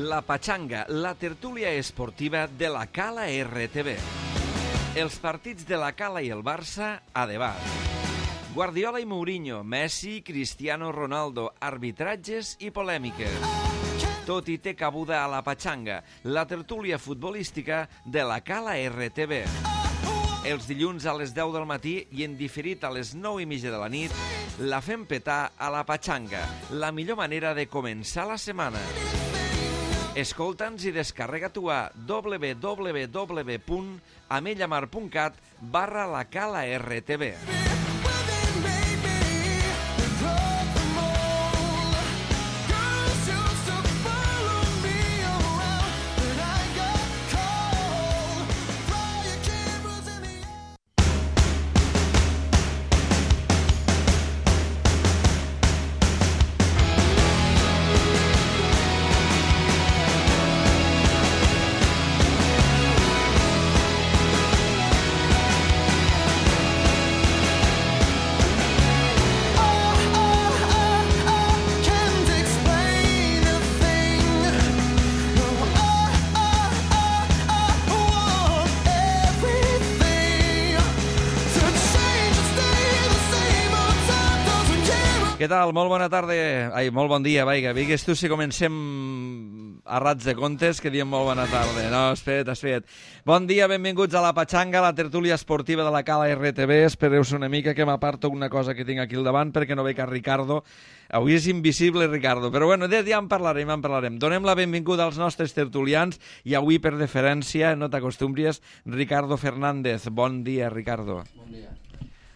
La Pachanga, la tertúlia esportiva de la Cala RTV. Els partits de la Cala i el Barça a debat. Guardiola i Mourinho, Messi, Cristiano Ronaldo, arbitratges i polèmiques. Tot hi té cabuda a la Pachanga, la tertúlia futbolística de la Cala RTV. Els dilluns a les 10 del matí i en diferit a les 9:30 de la nit, la fem petar a la Pachanga, la millor manera de començar la setmana. Escolta'ns i descarrega-t'ho a www.amellamar.cat/lacala-rtv. Què tal? Molt bona tarda. Ai, molt bon dia, vaiga. Vigues tu si comencem a rats de comptes, que diem molt bona tarda. No, espera't. Bon dia, benvinguts a la Pachanga, la tertúlia esportiva de la Cala RTV. Espereu-se una mica que m'aparto una cosa que tinc aquí al davant perquè no veig a Ricardo. Avui és invisible, Ricardo. Però bueno, ja en parlarem. Donem la benvinguda als nostres tertulians i avui, per deferència, no t'acostumbries, Ricardo Fernández. Bon dia, Ricardo. Bon dia.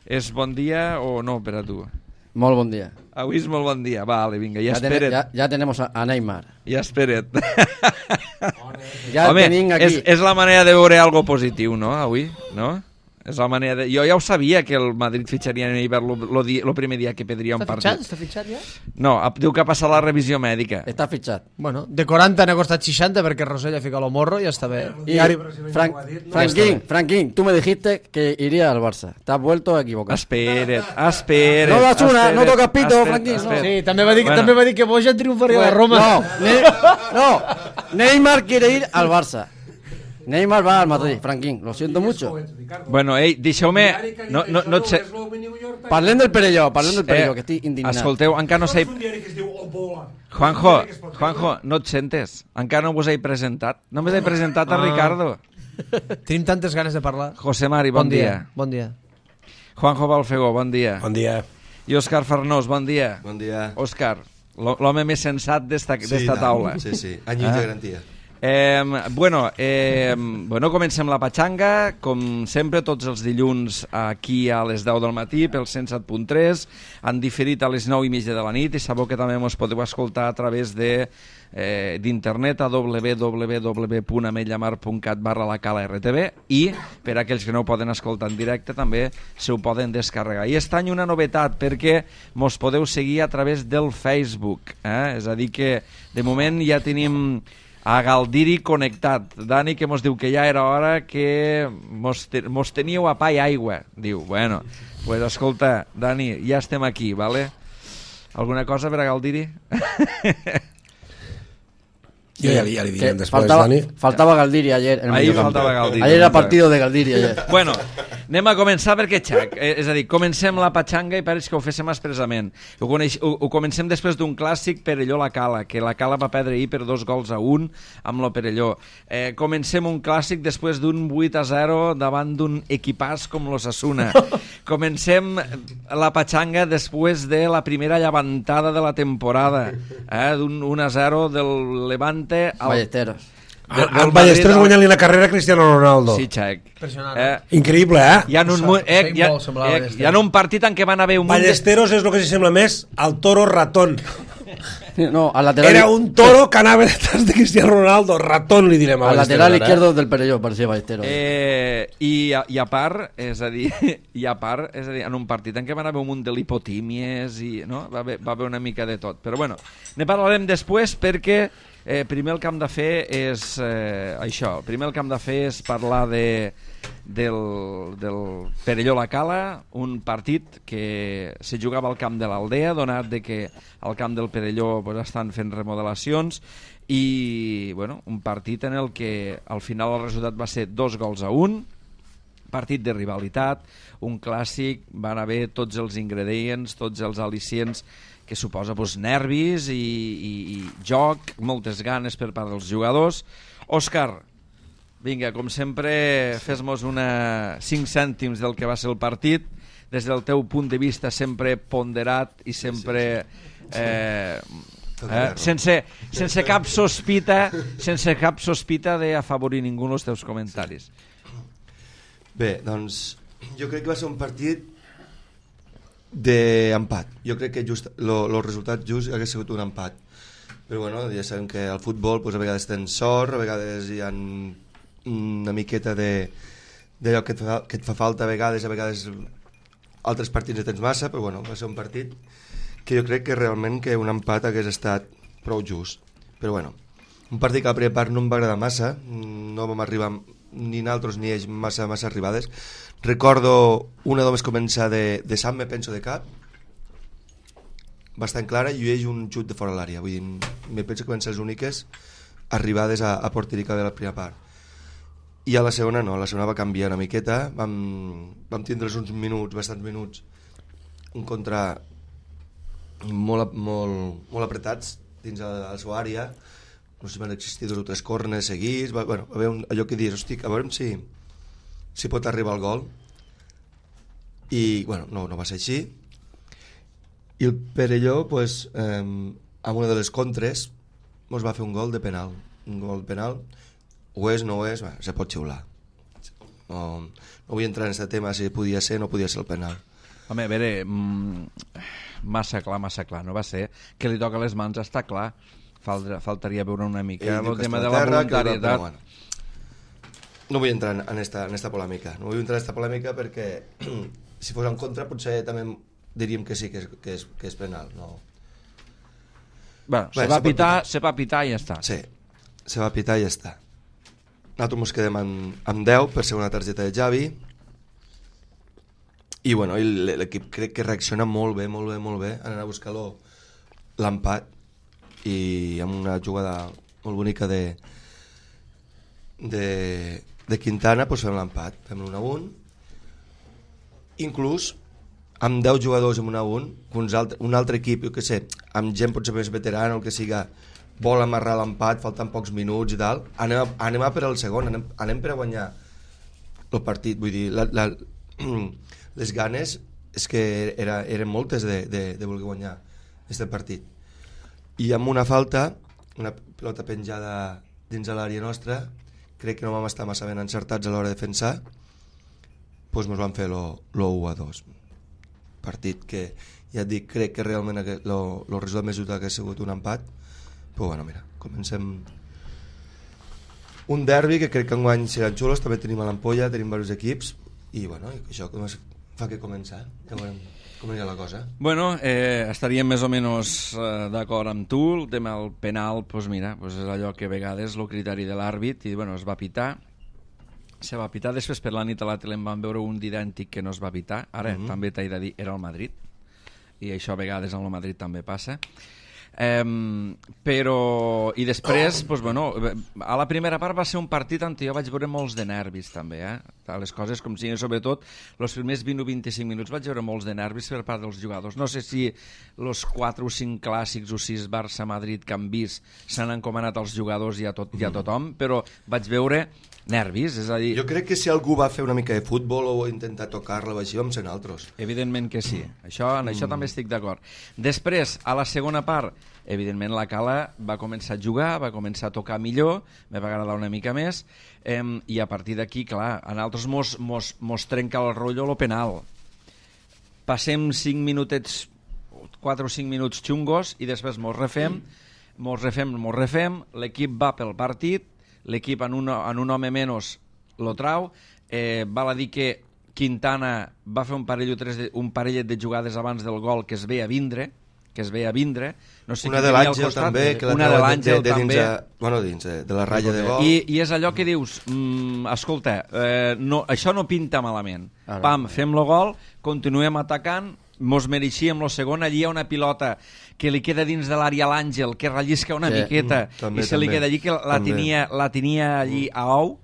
És bon dia o no per a tu? Molt bon dia. Avui és molt bon dia. Vale, vinga, ja espera't. Ya tenemos a Neymar. Ja espera't. Ja tenim aquí. És la manera de veure algo positiu, no, avui? No? És la manera de... Jo ja ho sabia que el Madrid fitxaria a Neymar el primer dia que perdria un partit. Està fitxat ja? No, diu que ha passat la revisió mèdica. Està fitxat. Bueno, de 40 n'ha costat 60 perquè Rosell ha ficat el morro i ja està bé. Y Franquín, tú me dijiste que iría al Barça. Te has vuelto a equivocar. Espera't. No das una, no tocas pito, Franquín. No. Sí, també va dir que Bojan triomfaria a Roma. No, Neymar quiere ir al Barça. Neymar va al Madrid, Franquín, lo siento mucho. Bueno, deixeu-me... No et sé... Parlem del Perelló, que estic indignat. Escolteu, encara no s'he... Juanjo, no et sentes? Encara no vos he presentat? No m'he presentat a Ricardo. Tenim tantes ganes de parlar. José Mari, bon dia. Bon dia. Juanjo Balfegó, bon dia. Bon dia. I Òscar Farnós, bon dia. Bon dia. Òscar, l'home més sensat d'esta taula. Sí, anys de garantia. Bueno, comencem la Pachanga, com sempre, tots els dilluns aquí a les 10 del matí pel 107.3, han diferit a les 9:30 de la nit i sabeu que també ens podeu escoltar a través d'internet a www.amellamar.cat/lacala-rtv i per a aquells que no ho poden escoltar en directe també se ho poden descarregar. I aquest any una novetat perquè mos podeu seguir a través del Facebook, és a dir que de moment ja tenim a Galdiri connectat. Dani que mos diu que ja era hora que mos teníeu a pa i aigua. Diu, bueno, pues escolta, Dani, ja estem aquí, vale? Alguna cosa per a Galdiri? Jo ja li direm després, Dani. Faltava Galdiri ayer. Ahí faltava Galdiri. Ayer era partido de Galdiri ayer. Bueno, anem a començar perquè xac. És a dir, comencem la Pachanga i pareix que ho féssim expressament. Ho comencem després d'un clàssic Perelló-La Cala, que la Cala va perdre ahir per 2-1 amb lo Perelló. Comencem un clàssic després d'un 8-0 davant d'un equipàs com l'Osasuna. Comencem la Pachanga després de la primera llevantada de la temporada, d'un 1-0 del Levante Ballesteros. El Ballesteros guanyant-li la carrera a Cristiano Ronaldo. Sí, xec. Increïble, Hi ha un partit en què van haver un... Ballesteros és el que s'hi sembla més al toro ratón. No, al lateral... Era un toro que anava detrás de Cristiano Ronaldo. Ratón li direm a al Ballesteros. Lateral izquierdo del Perelló, parecía Ballesteros. I a part, és a dir, en un partit en què van haver un munt de lipotímies i no? Va haver una mica de tot. Però bueno, ne parlarem després perquè primer el que hem de fer és això. Primer el que hem de fer és parlar del Perelló-La Cala, un partit que se jugava al camp de l'Aldea, donat de que al camp del Perelló pues, estan fent remodelacions, i bueno, un partit en el que al final el resultat va ser 2-1, partit de rivalitat, un clàssic, van haver tots els ingredients, tots els al·licients que suposa pues, nervis i joc, moltes ganes per part dels jugadors. Òscar, vinga, com sempre, fes-nos 5 cèntims del que va ser el partit, des del teu punt de vista sempre ponderat i sempre... sense cap sospita d'afavorir ningú en els teus comentaris. Bé, doncs jo crec que va ser un partit d'empat. Jo crec que el resultat just hauria sigut un empat, però bueno, ja sabem que al futbol pues, a vegades tens sort, a vegades hi ha una miqueta d'allò que et fa falta, a vegades altres partits no tens massa, però bueno, va ser un partit que jo crec que realment que un empat hagués estat prou just. Però bueno, un partit que a la primera part no em va agradar massa, no vam arribar ni nosaltres ni ells massa arribades. Recordo una només començar de Sant, me penso de cap, bastant clara, i ells un xut de fora de l'àrea. Vull dir, me penso que van ser les úniques arribades a porteria de la primera part. I a la segona no, a la segona va canviar una miqueta, vam tindre uns minuts, bastants minuts, un contra molt apretats dins la seva àrea, no sé si van existir 2 o 3 corners seguits, bueno, a veure, allò que dius, hosti, a veure si pot arribar al gol, i bueno, no va ser així, i el Perelló pues, amb una de les contres ens va fer un gol de penal, ho és, no ho és, se pot xiular, no vull entrar en aquest tema si podia ser o no podia ser el penal. Home, a veure, massa clar, no va ser que li toca les mans, està clar, faltaria veure una mica el tema de la voluntaritat. Bueno, no vull entrar en esta polèmica, perquè si fos en contra potser també diríem que sí, que és penal. No. Bueno, se va pitar i ja està. Sí, se va pitar i ja està. Nosaltres ens quedem amb 10 per ser una targeta de Xavi, i bueno, l'equip crec que reacciona molt bé, anant a buscar l'empat, i amb una jugada molt bonica de Quintana pues fem l'empat, fem l'1-1, inclús amb 10 jugadors amb 1-1, un altre equip, jo que sé, amb gent potser més veterana o el que siga, vol amarrar l'empat, falten pocs minuts i tal, anem a per al segon, anem per a guanyar el partit. Vull dir, les ganes és que eren moltes de voler guanyar aquest partit, i amb una falta, una pilota penjada dins de l'àrea nostra, crec que no vam estar massa ben encertats a l'hora de defensar, doncs ens van fer l'1-2, partit que ja et dic, crec que realment el resultat més just ha sigut un empat. Però bueno, mira, comencem un derbi que crec que enguany seran xulos, també tenim a l'Ampolla, tenim diversos equips, i bueno, això fa que començar, ja veurem com anirà la cosa. Bueno, estaríem més o menys d'acord amb tu. El tema del penal, doncs mira, és allò que a vegades el criteri de l'àrbit, i bueno, es va pitar, després per la nit a la tele en van veure un d'idèntic que no es va pitar, ara també t'he de dir, era el Madrid, i això a vegades amb el Madrid també passa. Però i després doncs, bueno, a la primera part va ser un partit on jo vaig veure molts de nervis també, les coses com siguin, sobretot els primers 20 o 25 minuts vaig veure molts de nervis per part dels jugadors. No sé si els 4 o 5 clàssics o 6 Barça-Madrid que han vist s'han encomanat als jugadors i a tothom, però vaig veure nervis, és a dir... Jo crec que si algú va fer una mica de futbol o intentar tocar-la o així, vam ser nosaltres. Evidentment que sí, en això també estic d'acord. Després, a la segona part, evidentment la Cala va començar a jugar, va començar a tocar millor, me va agradar una mica més, i a partir d'aquí, clar, a nosaltres mos trenca el rotllo lo penal. Passem 5 minutets, 4 o 5 minuts xungos, i després mos refem, l'equip va pel partit, l'equip en un home menys lo trau, val a dir que Quintana va fer un parellet de jugades abans del gol que es veia vindre, que es veia vindre. No sé una de l'Àngel també, que la una de l'Àngel també. De la ratlla de gol. I és allò que dius, escolta, això no pinta malament. Pam, fem el gol, continuem atacant, mos mereixíem el segon, allí hi ha una pilota que li queda dins de l'àrea a l'Àngel, que rellisca una miqueta, i se li queda allí, que la tenia allí a ou,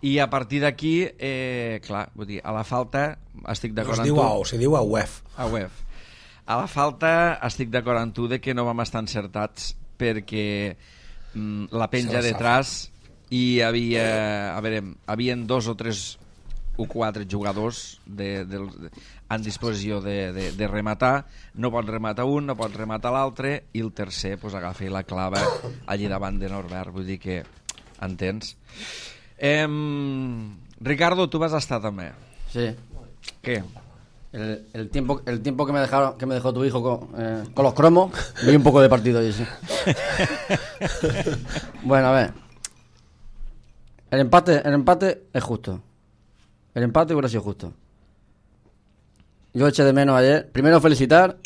i a partir d'aquí, clar, vull dir, a la falta estic d'acord amb tu. No es diu a ou, se diu a UEF. A UEF. A la falta estic d'acord amb tu de que no vam estar encertats perquè la penja detrás i havien 2 o 3 o 4 jugadors en disposició de rematar. No pot rematar un, no pot rematar l'altre, i el tercer pues, agafa i la clava allí davant de Norbert. Vull dir que entens. Ricardo, tu vas estar també. Sí. ¿Qué? El tiempo que me dejó tu hijo con los cromos, vi un poco de partido y sí. Bueno, a ver. El empate es justo. El empate hubiera sido justo. Yo eché de menos ayer. Primero felicitar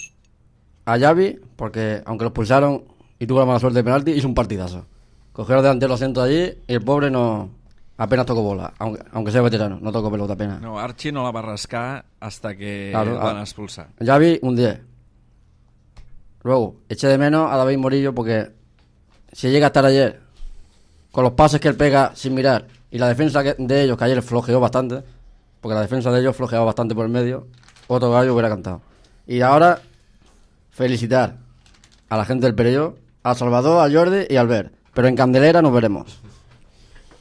a Xavi, porque aunque lo expulsaron y tuvo la mala suerte de penalti, hizo un partidazo. Cogió los delanteros, los centros allí y el pobre apenas tocó bola, aunque sea veterano, no tocó pelota apenas. No, Archie no la va rascar hasta que van a expulsar. Xavi, un 10. Luego, eché de menos a David Morillo porque si llega a estar ayer con los pases que él pega sin mirar y la defensa de ellos, que ayer flojeó bastante, porque la defensa de ellos flojeaba bastante por el medio, otro gallo hubiera cantado. Y ahora, felicitar a la gente del Perelló, a Salvador, a Jordi y a Albert. Pero en Candelera nos veremos.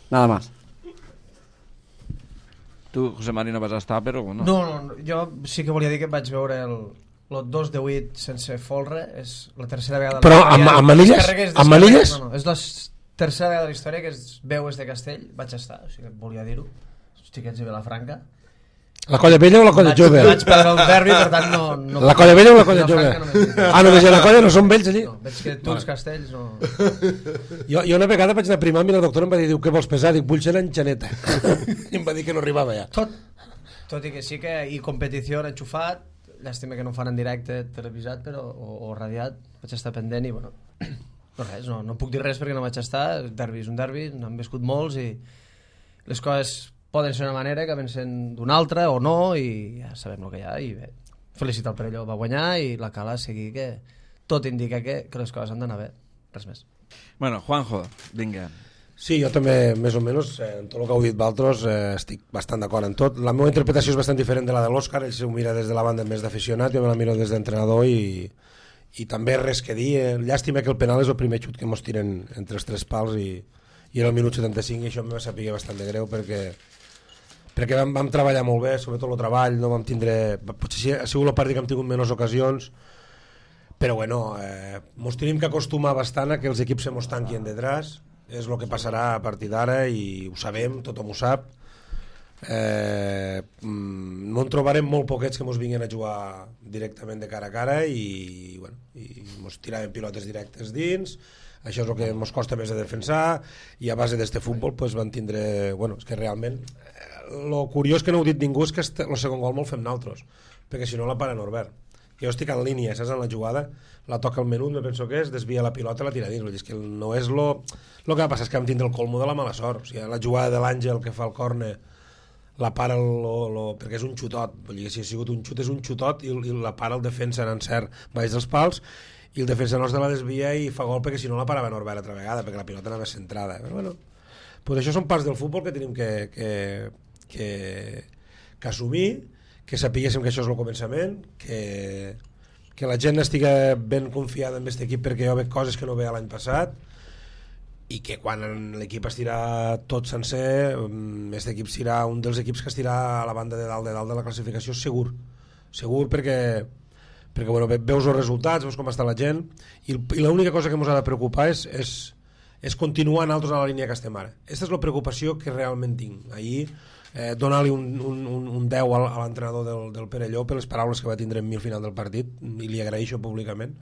Nada más. Tu, José Mari, no vas estar, però... No, jo sí que volia dir que vaig veure el 2 de 8 sense folre, és la tercera vegada... Però amb manilles? Amb manilles? No, és la tercera vegada de la història que es veu des de Castell, vaig estar, o sigui, volia dir-ho, els xiquets de Vilafranca. La colla vella o la colla jove? Vaig perdre el derbi, per tant no... La colla vella o la colla jove? Només la colla, no són vells allí? No, veig que tu els castells no... Jo una vegada vaig anar a primar i la doctora em va dir, què vols pesar? Dic, vull ser l'enxaneta. I em va dir que no arribava ja. Tot i que sí que hi competició enxufat, llàstima que no ho fan en directe televisat o radiat, vaig estar pendent i bueno, no res, no puc dir res perquè no vaig estar, el derbi és un derbi, n'han viscut molts i les coses poden ser una manera que vencen d'una altra o no, i ja sabem el que hi ha. I bé, felicitar el Perelló, va guanyar, i la Cala seguir, que tot indica que les coses han d'anar bé, res més. Bueno, Juanjo, vinga. Sí, jo també, més o menys, en tot el que heu dit vosaltres, estic bastant d'acord en tot. La meva interpretació és bastant diferent de la de l'Òscar, ell s'ho mira des de la banda més d'aficionat, jo me la miro des d'entrenador i també res que dir. Llàstima que el penal és el primer xut que mos tiren entre els 3 pals i era el minut 75 i això em va saber bastant de greu perquè vam treballar molt bé, sobretot el treball, no vam tindre... Potser ha sigut el partit que hem tingut menys ocasions, però bueno, mos tenim que acostumar bastant a que els equips se mos tanquin detrás, és el que passarà a partir d'ara i ho sabem, tothom ho sap. No en trobarem molt poquets que mos vinguin a jugar directament de cara a cara i mos tiraven pilotes directes dins. Això és el que ens costa més de defensar i a base d'este futbol pues, van tindre... Bueno, és que realment el curiós que no ho ha dit ningú és que el segon gol me'l fem nosaltres, perquè si no la para Norbert. Jo estic en línia, saps, en la jugada, la toca al menut, me penso que és, desvia la pilota i la tira dins. És que no és lo que va passar és que vam tindre el colmo de la mala sort. O sigui, la jugada de l'Àngel que fa el córner la para perquè és un xutot, vull dir que si ha sigut un xut és un xutot i la para el defensa en encert baix dels pals i el defensa nostre la desvia i fa gol perquè si no la parava Norbert altra vegada perquè la pilota anava centrada. Però bueno, pues això són parts del futbol que tenim que assumir, que sapiguéssim que això és el començament, que la gent estigui ben confiada en aquest equip perquè jo veig coses que no veia l'any passat i que quan l'equip estirà tot sencer, aquest equip serà un dels equips que estirà a la banda de dalt de la classificació segur perquè bueno, veus els resultats, veus com està la gent i l'única cosa que ens ha de preocupar és continuar nosaltres a la línia que estem ara. Aquesta és la preocupació que realment tinc. Ahir donar-li un 10 a l'entrenador del Perelló per les paraules que va tindre en mi al final del partit i li agraeixo públicament.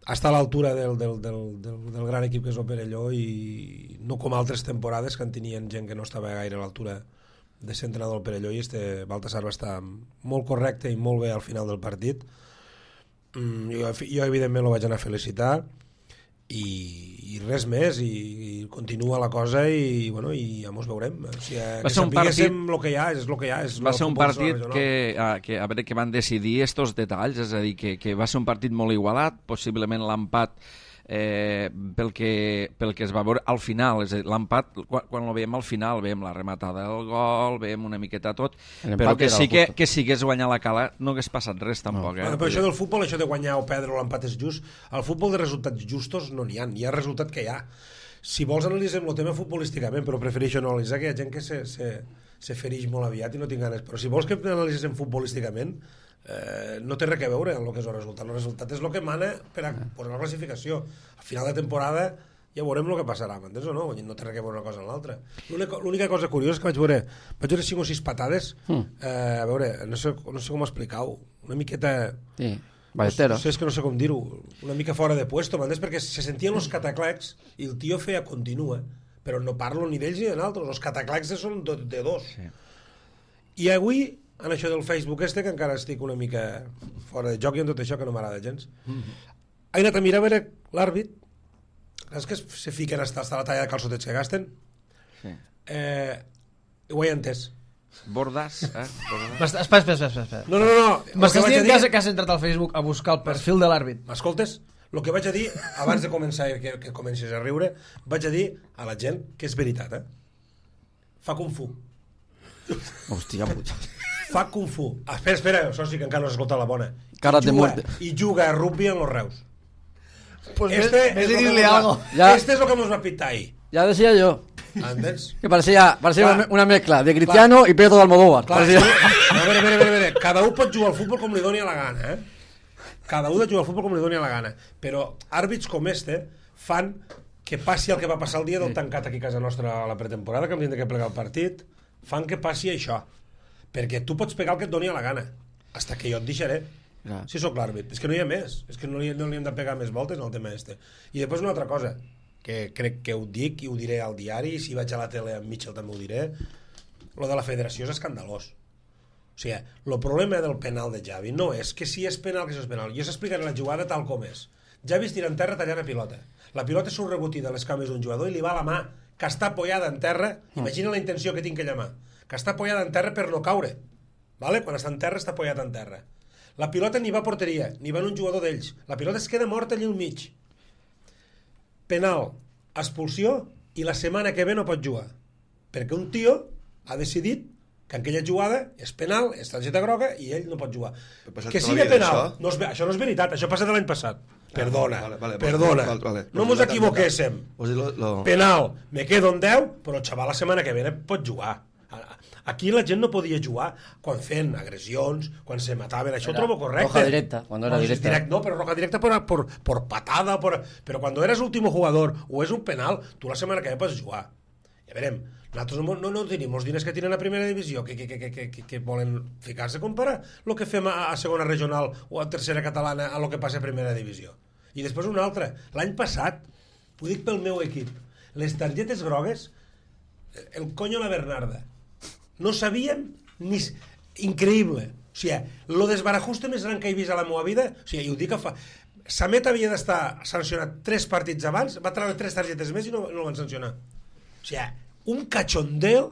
Està a l'altura del gran equip que és el Perelló i no com altres temporades que en tenien gent que no estava gaire a l'altura de ser entrenador del Perelló i Baltasar va estar molt correcte i molt bé al final del partit Jo evidentment el vaig anar a felicitar i res més, i continua la cosa i ja mos veurem. O sigui, que sapiguéssim el que hi ha, és el que hi ha. Va ser un partit que a veure, que van decidir estos detalls, és a dir, que va ser un partit molt igualat, possiblement l'empat pel que es va veure al final, és a dir, l'empat quan el veiem al final, veiem la rematada del gol, veiem una miqueta tot, però que sí que si hagués guanyat la Cala no hagués passat res tampoc. Bueno, però això del futbol, això de guanyar o perdre o l'empat és just, al futbol de resultats justos no n'hi ha, hi ha resultat que hi ha. Si vols analitzem el tema futbolísticament, però prefereixo no analitzar, que hi ha gent que se fereix molt aviat i no tinc ganes, però si vols que analitzem futbolísticament, no té res a veure amb el que és el resultat. El resultat és el que mana per a posar la classificació. Al final de temporada ja veurem el que passarà, m'entens o no? No té res a veure una cosa amb l'altra. L'única cosa curiosa és que vaig veure 5 o 6 patades, a veure, no sé com explicar-ho, una miqueta... Sí, ballesteros. És que no sé com dir-ho, una mica fora de puesto, m'entens? Perquè se sentien els cataclecs i el tio feia continua, però no parlo ni d'ells ni de nosaltres, els cataclecs són de dos. Sí. I avui, en això del Facebook que encara estic una mica fora de joc i en tot això que no m'agrada gens, he anat a mirar a veure l'àrbit, és que se fiquen hasta la talla de calçotets que gasten, ho he entès. Bordas, Espera. No. M'estàs dient que has entrat al Facebook a buscar el perfil de l'àrbit? M'escoltes? El que vaig a dir, abans de començar que comencis a riure, vaig a dir a la gent que és veritat, fa Kung Fu. Hòstia puta. Fa Kung Fu. Espera, això sí que encara no s'ha escoltat la bona. I juga a rugby en los Reus. Pues este es lo que nos va a pitar ahí. Ya decía yo. ¿Entens? Que parecía una mezcla de Cristiano y Pedro de Almodóvar. A veure. Cada un pot jugar al futbol com li doni la gana, Cada un jugar al futbol com li doni la gana. Però àrbits com fan que passi el que va passar el dia del tancat aquí a casa nostra a la pretemporada, que hem de que plegar el partit, fan que passi això. Perquè tu pots pegar el que et doni la gana, hasta que jo et deixaré. Si sóc l'àrbit. És que no hi ha més. És que no li hem de pegar més voltes en el tema este. I després una altra cosa, que crec que ho dic i ho diré al diari, i si vaig a la tele amb Mitchell també ho diré, lo de la federació és escandalós. O sigui, el problema del penal de Xavi no és que si és penal que si és penal. Jo s'explicaré la jugada tal com és. Xavi es tira en terra tallant la pilota. La pilota surt rebotida a les cames d'un jugador i li va a la mà, que està apoyada en terra. Imagina la intenció que tinc aquella mà. Que està apoyada en terra per no caure. Vale? Quan està en terra, està apoyada en terra. La pilota ni va a porteria, ni va en un jugador d'ells. La pilota es queda morta allà al mig. Penal, expulsió, i la setmana que ve no pot jugar. Perquè un tio ha decidit que aquella jugada és penal, és targeta groga, i ell no pot jugar. Que sigui penal, això no és veritat, això passa de l'any passat. Perdona, no mos equivoquéssim. Penal, me quedo en 10, però el xaval la setmana que ve pot jugar. Aquí la gent no podia jugar quan feien agressions, quan se mataven, això ho trobo correcte. Roja directa, cuando era directa. No, pero roja directa por patada, pero cuando eres último jugador o és un penal, tu la setmana que ve pots jugar. Ja verem, nosaltres no tenim els diners que tenen a primera divisió, que volen ficar-se a comparar el que fem a segona regional o a tercera catalana a lo que passa a primera divisió. I després una altra, l'any passat, ho dic pel meu equip, les targetes grogues, el coño la Bernarda, no sabíem ni... Increïble. O sigui, lo desbarajuste més gran que he vist a la meva vida, o sigui, i ho dic que fa... Samet havia d'estar sancionat 3 partits abans, va treure 3 targetes més i no el van sancionar. O sigui, un cachondeo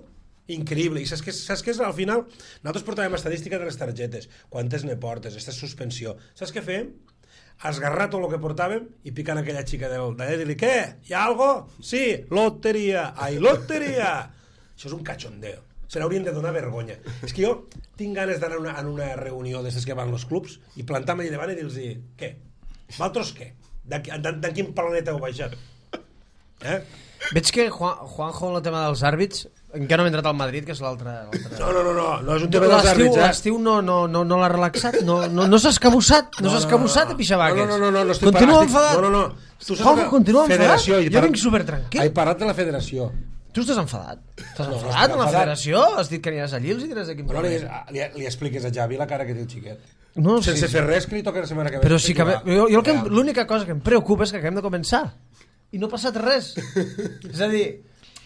increïble. I saps què és? Al final, nosaltres portàvem estadística de les targetes, quantes ne portes, esta suspensió. Saps què fèiem? Esgarrar tot el que portàvem i picant aquella xica d'allà i dir-li, què? Hi ha algo? Sí, loteria. Ai, loteria! Això és un cachondeo. Se n'haurien de donar vergonya. És que jo tinc ganes d'anar a una reunió d'aquestes que van als clubs i plantar-me allà davant i dir-los, què? Vosaltres què? De quin planeta heu baixat? Veig que Juanjo en el tema dels àrbits encara no hem entrat al Madrid, que és l'altre... No és un tema dels àrbits. L'estiu no l'ha relaxat? No s'ha escabussat? No s'ha escabussat a Pixabaques? No. Continua enfadat? No. Juanjo, continua enfadat? Jo vinc supertranquil. He parlat de la federació. Tu estàs enfadat? Estàs enfadat amb la federació? Has dit que aniràs allí, els diràs de quin problema? Li expliques a Xavi la cara que té el xiquet. No, sense fer res que li toca la setmana que ve. Però sí que l'única cosa que em preocupa és que acabem de començar i no ha passat res. És a dir,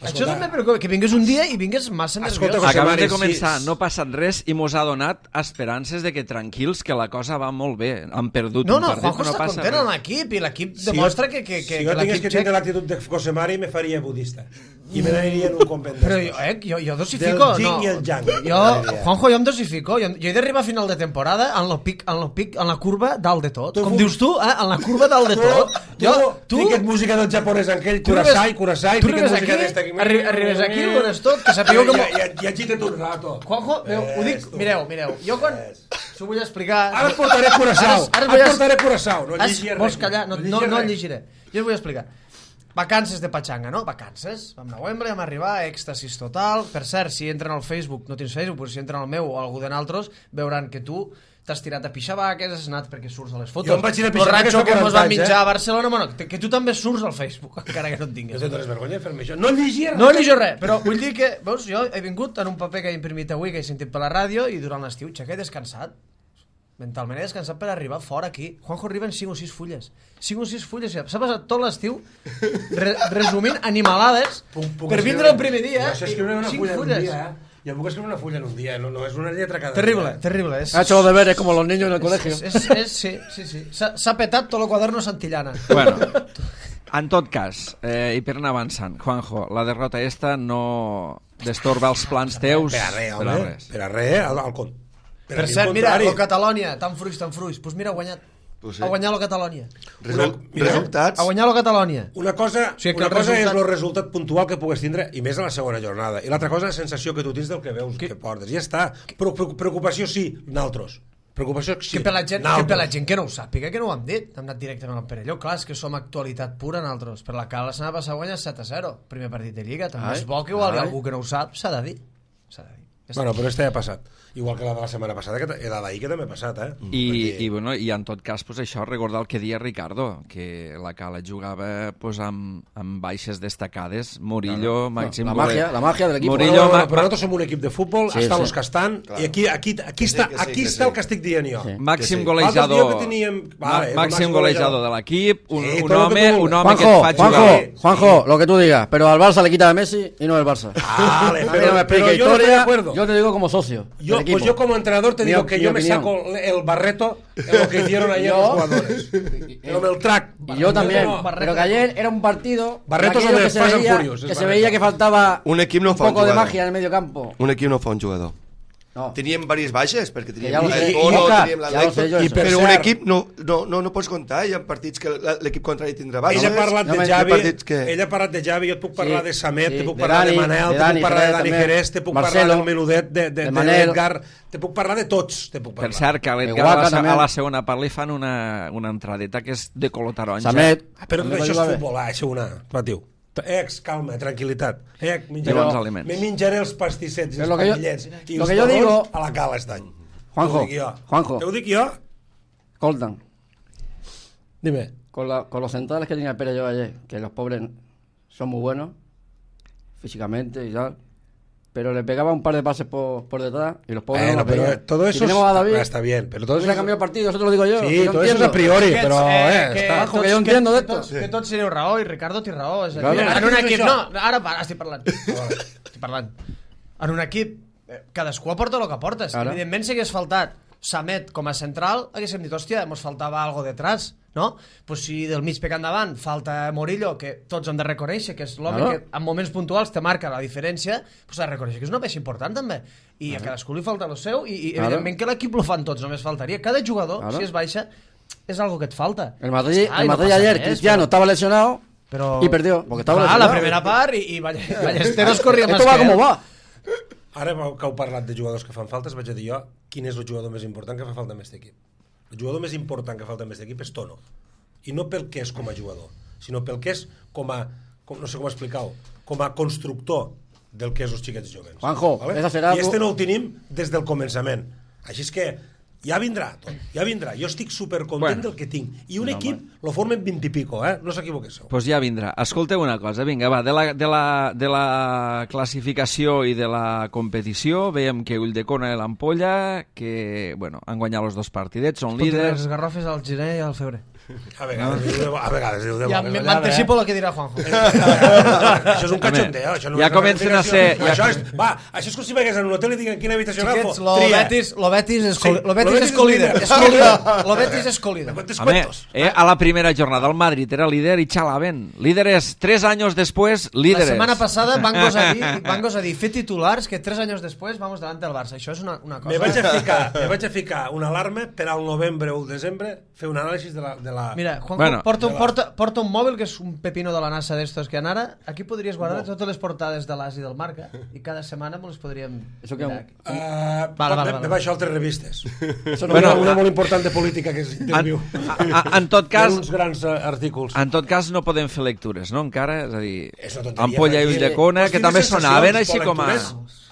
Això també me preocupa, que vingués un dia i vingués massa nerviós. José Acabem Mari, de començar, no ha passat res i mos ha donat esperances de que tranquils, que la cosa va molt bé. Han perdut un partit, Juanjo no està passa content res. amb l'equip i l'equip demostra que si jo tingués l'equip que txec... tindre l'actitud de José Mari, me faria budista. I me n'aniria en un convent Però d'estos. jo dosifico, Del yin no. i el yang. Juanjo, jo em dosifico. Jo he d'arribar a final de temporada en la curva dalt de tot. Com dius tu, en la curva dalt de tot. Tu fiques música del japonès en aquell, Kurasai, fiques música d'esta aquí. Arribes aquí, ho dones tot, que sapigueu que... I agita't un rato. Juanjo, ho dic, mireu, jo quan... S'ho vull explicar... Ara et portaré Curaçao, no llegiré res. Vols callar? No el llegiré. Jo us vull explicar. Vacances de Pachanga, no? Vacances. Vam anar a Wembley, vam arribar, èxtasis total. Per cert, si entren al Facebook, no tens Facebook, però si entren al meu o algú de naltros, veuran que tu t'has tirat a pixar vaques, has anat perquè surts a les fotos. Jo em vaig ir a pixar vaques que fa 40 mos van anys, mitjar a Barcelona, bueno, que tu també surts al Facebook, encara que no et tinguis. No tens vergonya de fer-me això. No llegiré res. No llegeixo res, però vull dir que, veus, jo he vingut en un paper que he imprimit avui, que he sentit per la ràdio, i durant l'estiu, xaca, he descansat. Mentalment he descansat per arribar fora aquí. Juanjo arriba en 5 o 6 fulles. 5 o 6 fulles. S'ha passat tot l'estiu resumint animalades per vindre el primer dia. Jo sé escriure una 5 fulla en un fulles. dia, Jo puc escriure una fulla en un dia, no és una lletra cada Terrible, dia. terrible. Ha hecho los deberes como los niños en el colegio. Sí. S'ha petat tot el quaderno Santillana. Bueno, en tot cas, i per anar avançant, Juanjo, la derrota esta no destorba els plans teus Per a res, home. Per a res, al compte. Per cert, mira, el Catalonia, tan fruits. Pues mira, ha guanyat. Pues sí. Ha guanyat el Catalonia. Resultats. Ha guanyat el Catalonia. Una cosa, O sigui que una el cosa resultat- és el resultat puntual que pugues tindre, i més a la segona jornada. I l'altra cosa és la sensació que tu tens del que veus, que portes. Ja està. Preocupació sí, naltros. Preocupació sí, Que per la gent naltros. que no ho sàpiga, que no ho hem dit. Hem anat directament al Perelló. Clar, és que som actualitat pura nosaltres. Per la Cala la setmana passada guanya 7-0. Primer partit de Lliga. També és bo que igual hi ha algú que no ho sap. S'ha de dir. Ja Bueno, però este ja ha passat. Igual que la de la setmana passada, que la d'ahir que també ha passat, I en tot cas, pues, això, recordar el que deia Ricardo, que la Cala jugava pues, amb baixes destacades, Murillo, Màxim... La magia del equip. Murillo, però nosaltres som un equip de futbol, Sí, estan sí. els que estan, i aquí està el que estic dient jo. Sí. Màxim Que sí. golejador, L'altre dia que teníem- Vale, màxim golejador de l'equip, un Sí, tot lo que home, tu un vulguis. home que et fa jugar. Juanjo, lo que tú digas, pero al Barça le quita a Messi y no el Barça. Vale, A mí pero- no me pero explique yo no estoy de historia, acuerdo. yo te digo como socio del equipo. Pues yo como entrenador te digo que Mi yo me opinión. saco el barreto en lo que hicieron ayer los jugadores. Pero el track. Y yo también, No, pero que ayer era un partido Barretos aquello donde que se pasan veía, furios, es que se Barreto. veía que faltaba Un equip no un fa un poco de jugador. magia en el medio campo. Un equip no fa un jugador. No. Teníem diverses baixes, perquè teníem ja ho sé. el Toro, Oscar, teníem ja ho sé jo, l'Atlètic, això. però Per un cert- equip no pots comptar, hi ha partits que l'equip contrari tindrà baixes. Ell ha parlat No, de hi ha Javi, partits que- ell ha parlat de Javi, jo et puc parlar Sí, de Samet, sí, te puc de parlar de Dani, Manel, de te Dani puc parlar de Jerez Dani també, Jerez, te puc Marcelo, parlar del Menudet, de Manel. l'Edgar, te puc parlar de tots, te puc Per parlar. cert, que a l'Edgar Igual que a també. la segona part li fan una entradeta que és de color taronja. Samet. Però també això va és bé. futbol, això una, patiu. Calma, tranquil·litat. Diu els aliments. Me menjaré els pastissets i Però els lo que yo- panellets i lo els que yo torrons digo- a la Cala aquest any. Juanjo, Te ho dic jo. Juanjo. Te ho dic jo? Coldan, Dime. con los centrales que tenía el Perelló ayer, que los pobres son muy buenos físicamente y tal, pero le pegaba un par de pases por detrás y los pobres Bueno, no los pero veían. todo Y eso tenemos a David, está bien, pero todo no se eso ha cambiado el partido, eso te lo digo yo. Sí, que yo todo eso es entiendo. a priori, Aquests, però que està. Ojo, que jo entiendo de esto. Que tots teniu raó, i Ricardo té raó. És a dir, Claro. en un equip... Això. No, ara estic parlant. Estic parlant. En un equip, cadascú aporta el que aportes. Ara. Evidentment, si hagués faltat Samet com a central, haguéssim dit, hòstia, mos faltava algo detrás, no? Pues si del mig pecant davant falta Murillo, que tots hem de reconèixer que és l'home Claro. que en moments puntuals te marca la diferència, pues has de reconèixer que és una peça important també. I a cadascú li falta el seu, i Claro. evidentment que l'equip lo fan tots, només faltaria. Cada jugador, Claro. si es baixa, és algo que et falta. El Madrid, Ai, el no Madrid passa ayer, res, Cristiano però- estaba lesionado Però... y perdió, porque estaba Clar, lesionado. la primera part i Ballesteros corria Esto més va que como ell. va. Ara que heu parlat de jugadors que fan faltes, vaig a dir jo quin és el jugador més important que fa falta en aquest equip. El jugador més important que falta en aquest equip és Tono. I no pel que és com a jugador, sinó pel que és no sé com explicar-ho, com a constructor del que és els xiquets jovens. Juanjo, esa serà I tu- no ho tenim des del començament. Així és que ja vindrà tot, ja vindrà. Jo estic supercontent del que tinc. I un equip lo formen 20 i pico, no s'equivoquéssiu. Pues ja vindrà. Escolteu una cosa, vinga, va, de la classificació i de la competició, veiem que Ulldecona i l'Ampolla, que, bueno, han guanyat els 2 partidets, són líders. Les garrofes al gener i al febrer. A vegades diu de bones. M'anticipo lo que dirà Juanjo. Això és un cachondeo. Ja comencen a ser... Això és com si veies en un hotel i diguin quina habitació agafo. Lo Betis és colíder. Lo Betis és colíder. Home, a la primera jornada el Madrid era líder i xalaven. Líderes 3 anys després, líderes. La setmana passada van gosar dir fer titulars que 3 anys després vamos davant del Barça. Això és una cosa... Me vaig a ficar una alarma per al novembre o el desembre fer un anàlisi de la... Mira, Juanjo, porta un mòbil que és un pepino de la NASA d'estos que han ara. Aquí podries guardar totes les portades de l'As i del Marca i cada setmana les podríem... Me baixo altres revistes. Una molt important de política que és Interviu. En tot cas... uns grans artículs. En tot cas no podem fer lectures, no? Encara, és a dir, Ampolla i Ulldecona, que també sonaven així com a...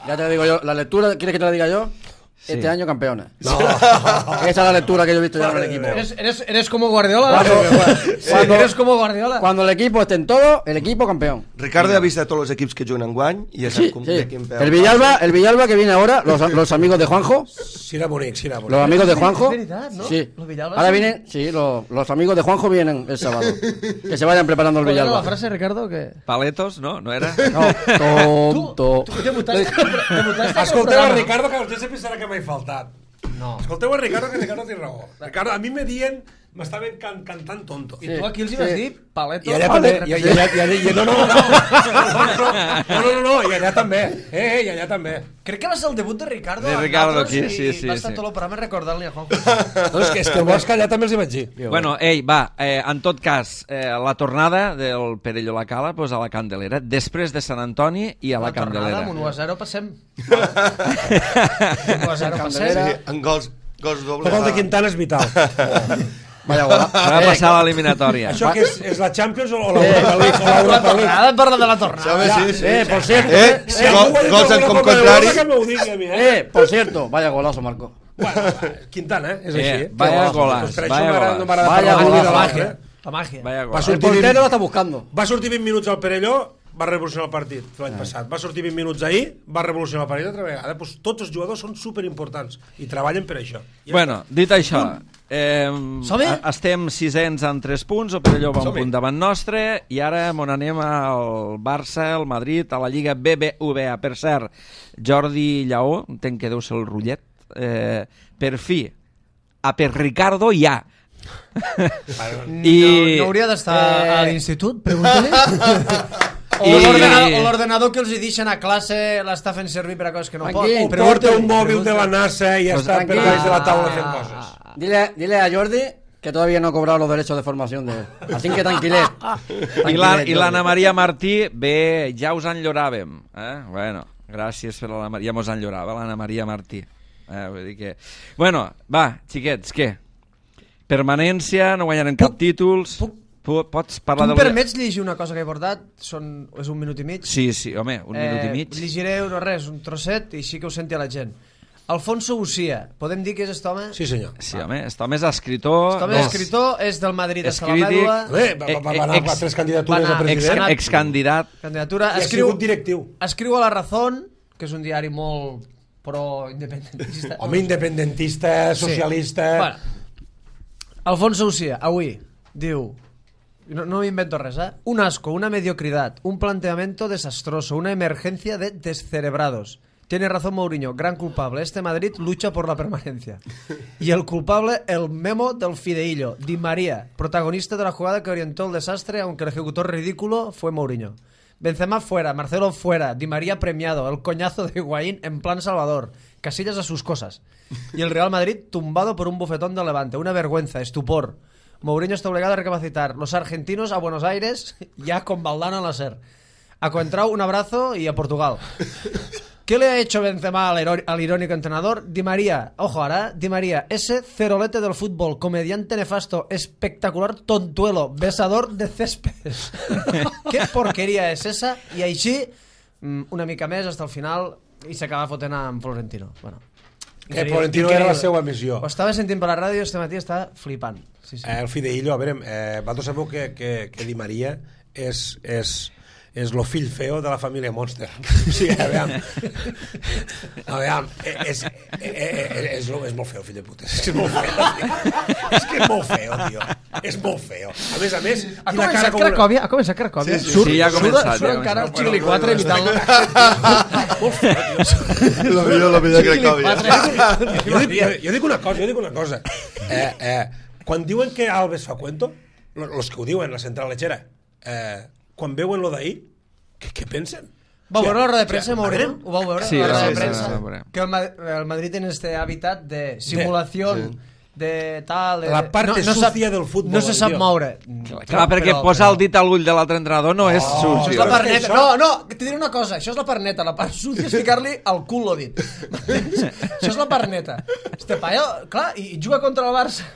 Ya te lo digo yo, la lectura, ¿quieres que te la diga yo? Sí. Este año campeones. No. Esa es la lectura que yo he visto ya en el equipo. Eres como Guardiola. Eres como Guardiola. Cuando el equipo esté en todo, el equipo campeón. Ricardo ha visto a todos los equipos que juegan enguany y ya sabe de quién peor. El Villalba que viene ahora, los amigos de Juanjo. Sí, era bonic. Los amigos de Juanjo. Es verdad, ¿no? Sí. Los Villalba ahora vienen, sí, los amigos de Juanjo vienen el sábado. Que se vayan preparando el Villalba. la frase, Ricardo? Que... Paletos, no? No era? No, tonto. Tu debutaste Escolteu a Ricardo, que vostè se pensarà que m'he faltat. No. Escolteu a Ricardo, que Ricardo té raó. Ricardo, a mi me dient, m'estaven cantant tonto. I tu aquí els hi vas dir paletos. I allà també. No, i allà també. I allà també. Crec que va ser el debut de Ricardo. De Ricardo aquí, sí. Va estar tot el programa recordant-li a Juanjo. És que el Bosch allà també els hi vaig dir. Bueno, en tot cas, la tornada del Perelló a la Cala, pues a la Candelera, després de Sant Antoni i a la Candelera. Amb un 1-0 passem. 1-0 passem. Sí, en gols dobles. El gol de Quintana és vital. Vaya gola. Va passar a l'eliminatòria. Això que és la Champions o l'Europa League? La tornada, parla de la tornada. Por cierto. Gols en com contrari. Por cierto, vaya golazo, Marco. Bueno, Quintana, és així. Vaya golaç. Vaya golazo. La màgia. El portero lo está buscando. Va sortir 20 minuts al Perelló, va revolucionar el partit l'any passat. Va sortir 20 minuts ahir, va revolucionar el partit altra vegada. Pues tots els jugadors són superimportants i treballen per això. Bueno, dit això, estem 600 amb 3 punts, el Perelló va un punt davant nostre i ara on anem al Barça, al Madrid, a la Lliga BBVA. Per cert, Jordi Lleó, entenc que deu ser el rotllet, per fi, a per Ricardo ja. No hauria d'estar a l'institut, pregunta-li. O l'ordenador que els hi deixen a classe l'està fent servir per a coses que no pot. O porta un mòbil de la NASA i està per baix de la taula fent coses. Dile a Jordi que todavía no ha cobrado los derechos de formación de él. Así que tranquilet. I l'Anna Maria Martí, bé, ja us enlloràvem. Bueno, gràcies per l'Anna Maria, ja mos enllorava l'Anna Maria Martí. Vull dir que... Bueno, va, xiquets, què? Permanència, no guanyarem cap títols... Pots parlar tu em permets llegir una cosa que he portat? És un minut i mig? Sí, home, un minut i mig. Llegiré un trosset i així que ho senti a la gent. Alfonso Ucia, podem dir que és aquest home? Sí, senyor. Sí, home, aquest home és escritor. Aquest home és escritor, és del Madrid, és la mèdula. Va anar a 3 candidatures a president. Excandidat. Candidatura. I ha sigut directiu. Escriu a La Razón, que és un diari molt pro-independentista. Home, independentista, socialista... Alfonso Ucia, avui, diu... No me invento res, un asco, una mediocridad, un planteamiento desastroso, una emergencia de descerebrados. Tiene razón Mourinho, gran culpable. Este Madrid lucha por la permanencia. Y el culpable, el memo del fideillo, Di María, protagonista de la jugada que orientó el desastre, aunque el ejecutor ridículo fue Mourinho. Benzema fuera, Marcelo fuera, Di María premiado, el coñazo de Higuaín en plan Salvador, Casillas a sus cosas. Y el Real Madrid tumbado por un bofetón de Levante, una vergüenza, estupor. Mourinho está obligado a recapacitar. Los argentinos a Buenos Aires ya con Valdano al SER. A Coentrao un abrazo y a Portugal. ¿Qué le ha hecho Benzema al irónico entrenador? Di María, ojo ahora, Di María, ese cerolete del fútbol, comediante nefasto, espectacular tontuelo, besador de céspedes. ¿Qué porqueria és esa? I així, una mica més, hasta el final, i s'acaba fotent amb Florentino. Bueno. Que Florentino era la seva missió. Ho estava sentint per la ràdio este matí, estava flipant. Sí. El Fideillo, a veure, vosaltres sabeu que Di Maria és lo fill feo de la família Monster. O sigui, aviam, és molt feo, fill de puta. És molt feo, és que és molt feo, tio. És molt feo. A més, ha començat Cracòvia, Sí, ja ha començat. Surt encara el Xigli 4 imitant-lo. Molt feo, Lo millor Cracòvia. Jo dic una cosa. Quan diuen que Alves fa cuento, los que ho diuen, la central lechera, quan veuen lo d'ahir, què pensen? Vau veure la roda de premsa, Mourinho? Ho vau veure? Sí, la roda de sí, premsa. sí. Que el Madrid tiene este hábitat de simulación, de tal... La parte sucia del futbol. No se sap tio. moure. Clar, perquè posar el dit a l'ull de l'altre entrenador no és Això és sucio. la part neta. No, te diré una cosa. Això és la part neta. La part sucia és ficar-li al cul lo dit. Això és la part neta. Este paio, clar, i juga contra el Barça,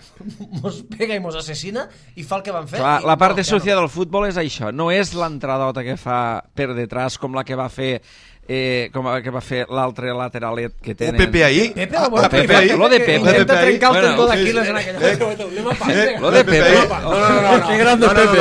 mos pega i mos assassina i fa el que van fer. Clar, la part sucia del futbol és això. No és l'entradota que fa per detrás com la que va fer l'altre lateralet que tenen. Pepe ahí. Pepe, Pepe ahí. Lo de Pepe. Intenta trencar el Bueno, tendó d'Aquiles en aquella... Lo de Pepe. No. Que grande Pepe.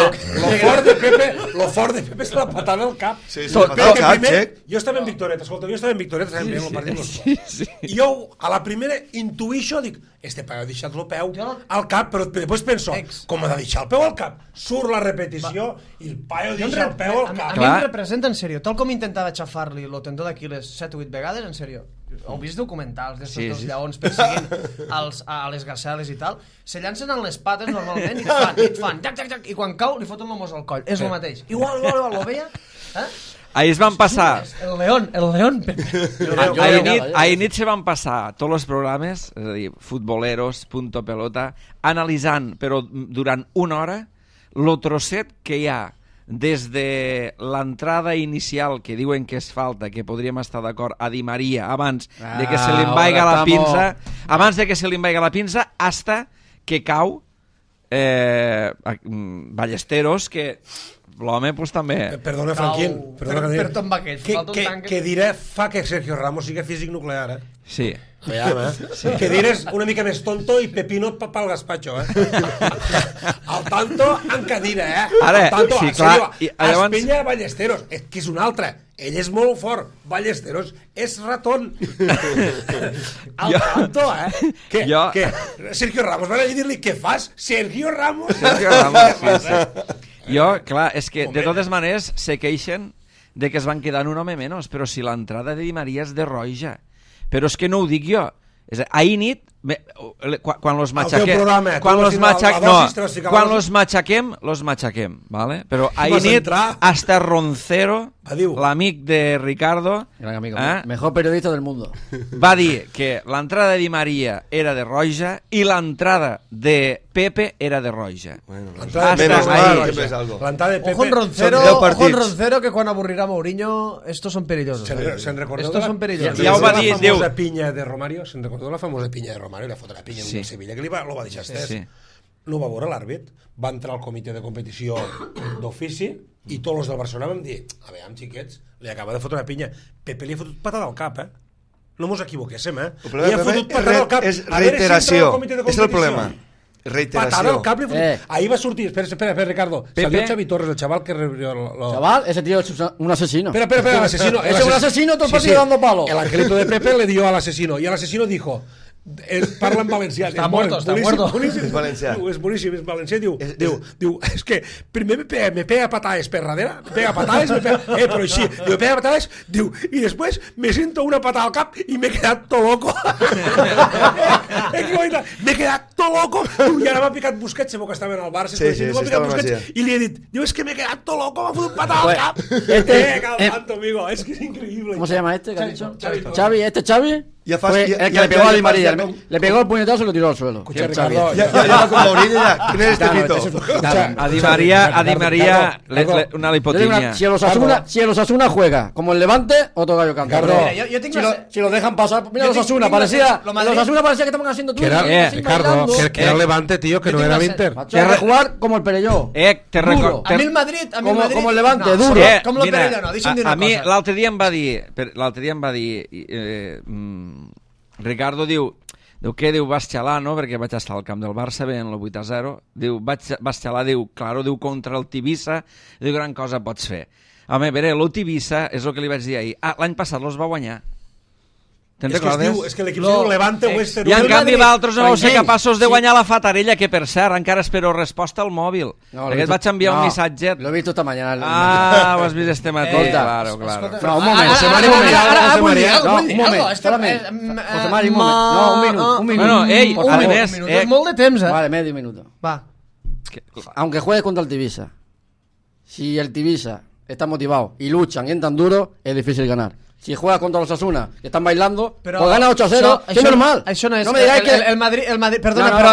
Lo fort de Pepe és la patada al cap. Sí, Perquè cap, primer, xec. jo estava en Victoreta, escolta, estàvem veient el partit. Sí. I jo, a la primera, intuïxo, dic, este paio ha deixat el peu al cap, però després penso, com ha de deixar el peu al cap? Surt la repetició i el paio deixa el peu al A cap. mi em representa, en sèrio, tal com intentava xafar-li el tendó d'Aquiles 7 o 8 vegades, en sèrio, heu vist documentals d'estos dos lleons perseguint a les gaceles i tal, se llancen en les pates normalment i et fan, i quan cau li foten el mos al coll, és el mateix. Igual, lo veia, Ahir es van passar... El león. Ahir nit se van passar tots els programes, és a dir, futboleros, punto pelota, analitzant, però durant una hora, lo trosset que hi ha des de l'entrada inicial que diuen que és falta, que podríem estar d'acord, a Di Maria, abans de que se li envaiga la pinça, hasta que cau Ballesteros, que l'home pues també... Perdona, Franquín. Per tot va Que diré fa que Sergio Ramos sigui físic nuclear, Sí. Sí. Que dirés una mica més tonto i Pepino pel gazpacho, Al tanto en cadira, Ara, al tanto, sí, clar, llavors... Espella Ballesteros, que és un altre. Ell és molt fort. Ballesteros és ratón. Al tanto, Que Sergio Ramos, van a dir-li, què fas? Sergio Ramos, sí. Jo, clar, és que de totes maneres se queixen de que es van quedar un home menys, però si l'entrada de Di Maria és de roja. Però és que no ho dic jo. Ahir nit, quan los matxaquem, ¿vale? Però ahir nit, hasta Roncero, l'amic de Ricardo, gran amigo, mejor periodista del mundo, va dir que l'entrada de Di Maria era de roja i l'entrada de Pepe era de roja. L'entrada de Pepe... Ojo en Roncero, que quan avorrirà Mourinho, estos son perillosos. Se'n recordeu estos son perillosos. Ja ho va dir, la famosa pinya de Romario? Se'n recordeu la famosa pinya de Romario? La foto de la pinya en Sevilla, que lo va deixar estès. No va veure l'àrbit, va entrar al comitè de competició d'ofici i tots els del Barcelona vam dir, a veure, xiquets, li acaba de fotre una pinya. Pepe li ha fotut patada al cap, No mos equivoquéssim, Li ha fotut patada al cap. És reiteració, és el problema. Patada al cap. Ahí va sortir, espera, Ricardo. Salió Xavi Torres, el chaval que... Chaval, ese tío es un asesino. Espera, el asesino. Es un asesino, todo el partido dando palo. El angelito de Pepe le dio al asesino y el asesino dijo... parla en valencià. Està muerto. És valencià. És boníssim, és valencià. Diu, és que primer me pega patades per darrere, però així, me pega patades, diu, i després me sento una patada al cap i m'he quedat tot loco. M'he quedat tot loco. I ara m'ha picat Busquets, sabeu que estaven al Barça, i li he dit, diu, és que m'he quedat tot loco, m'ha fotut patada al cap. Calmando, amigo, és que és increïble. ¿Cómo se llama este que has dicho? Xavi. Ya Fue el que le pegó a Di María. Le pegó el puñetazo y lo tiró al suelo. Escucha, Ricardo, ya con Mourinho ya. ¿Quién es este pito? A Di María una lipotimia. Si el Osasuna juega como el Levante, otro gallo canta. Si lo dejan pasar, mira el Osasuna, parecía que estaban haciendo tú. Ricardo, que era el Levante, tío, que no era el Inter. Que jugar como el Perelló. A mi el Madrid, como el Levante, duro. Com el Perelló, no, deixa'm dir una cosa. A mi l'altre dia em va dir Ricardo diu què? Diu, vas xalar, no? Perquè vaig estar al camp del Barça veient el 8-0. Diu, vas xalar, diu, claro, diu, contra el Tivissa. Diu, gran cosa pots fer. Home, a veure, el Tivissa és el que li vaig dir ahir. L'any passat los va guanyar. Te'n recordes? És que l'equip diu Levante Western I en Union. canvi vosaltres no vau ser capaços de guanyar la Fatarella, que per cert, encara espero resposta al mòbil. Perquè et vaig enviar un missatge. Lo he visto esta mañana. Ho has vist este matí, claro. No, un moment, José Mari, un moment. José Mari, un moment. No, un minuto. Bueno, ey, además... És molt de temps, Vale, medio minuto. Va. Aunque juegues contra el Tivissa, si el Tivissa está motivado y luchan y entran duro, es difícil ganar. Si juegas contra los Osasuna, que están bailando, pues gana 8-0, es normal. Això no és... No me digáis que... El Madrid, perdona, pero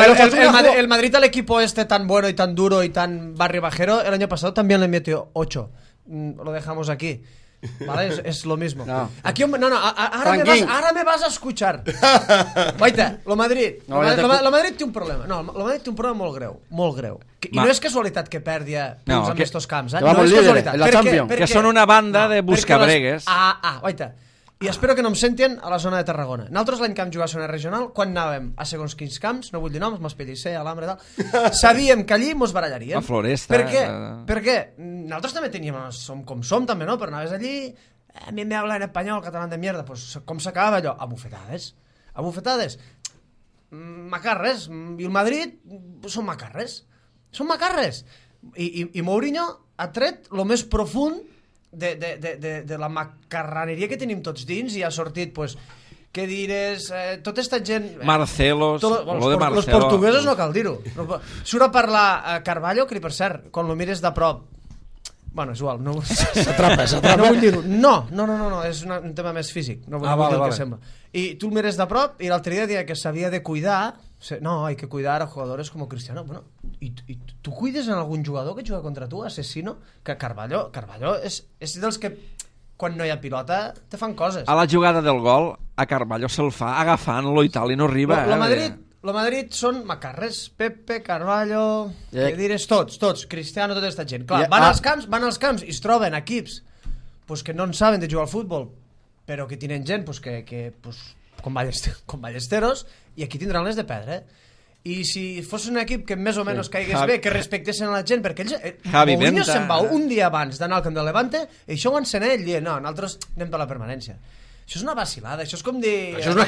el Madrid al equipo este tan bueno y tan duro y tan barrio bajero, el año pasado también le metió 8. Lo dejamos aquí. ¿Vale? Es lo mismo. No. Aquí, ahora me vas a escuchar. Guaita, lo Madrid té un problema. No, lo Madrid té un problema molt greu. I no és casualitat que perdi punts en estos camps. No és casualitat. Que són una banda de buscabregues. Guaita. I espero que no em sentin a la zona de Tarragona. Nosaltres l'any que vam jugar a zona regional, quan anàvem a segons quins camps, no vull dir noms, Maspellicer, Alambre, tal, sabíem que allí mos barallaríem. La Floresta. Per què? Perquè nosaltres també teníem, som com som també, no? Però anaves allí, a mi me habla en espanyol, catalán de mierda, pues com s'acabava allò? A bufetades. Macarres. I el Madrid són macarres. I Mourinho ha tret lo més profund de la macarraneria que tenim tots dins i ha sortit, pues, què dires, tota esta gent... Marcelos, lo de Marcelos. Los portuguesos no cal dir-ho. Surt a parlar Carvalho, que per cert, quan lo mires de prop... Bueno, és igual, no... S'atrapa. No vull dir-ho. No, és un tema més físic. No vull dir el que sembla. I tu el mires de prop i l'altre dia deia que s'havia de cuidar. No, hay que cuidar a jugadores como Cristiano. Bueno, ¿y tú cuides en algún jugador que juga contra tu, asesino? Que Carvalho és dels que quan no hi ha pilota te fan coses. A la jugada del gol, a Carvalho se'l fa agafant-lo i tal, i no arriba. Lo Madrid són macarres. Pepe, Carvalho, que dires tots, Cristiano, tota aquesta gent. Clar, van als camps i es troben equips pues, que no en saben de jugar al futbol, però que tenen gent pues, que con Ballesteros, i aquí tindran les de perdre. I si fos un equip que més o menys caigués bé, que respectessin a la gent, perquè ells... Mourinho se'n va un dia abans d'anar al camp del Levante i això ho encén ell, dient, no, nosaltres anem per la permanència. Això és una vacilada, això és com dir... Això no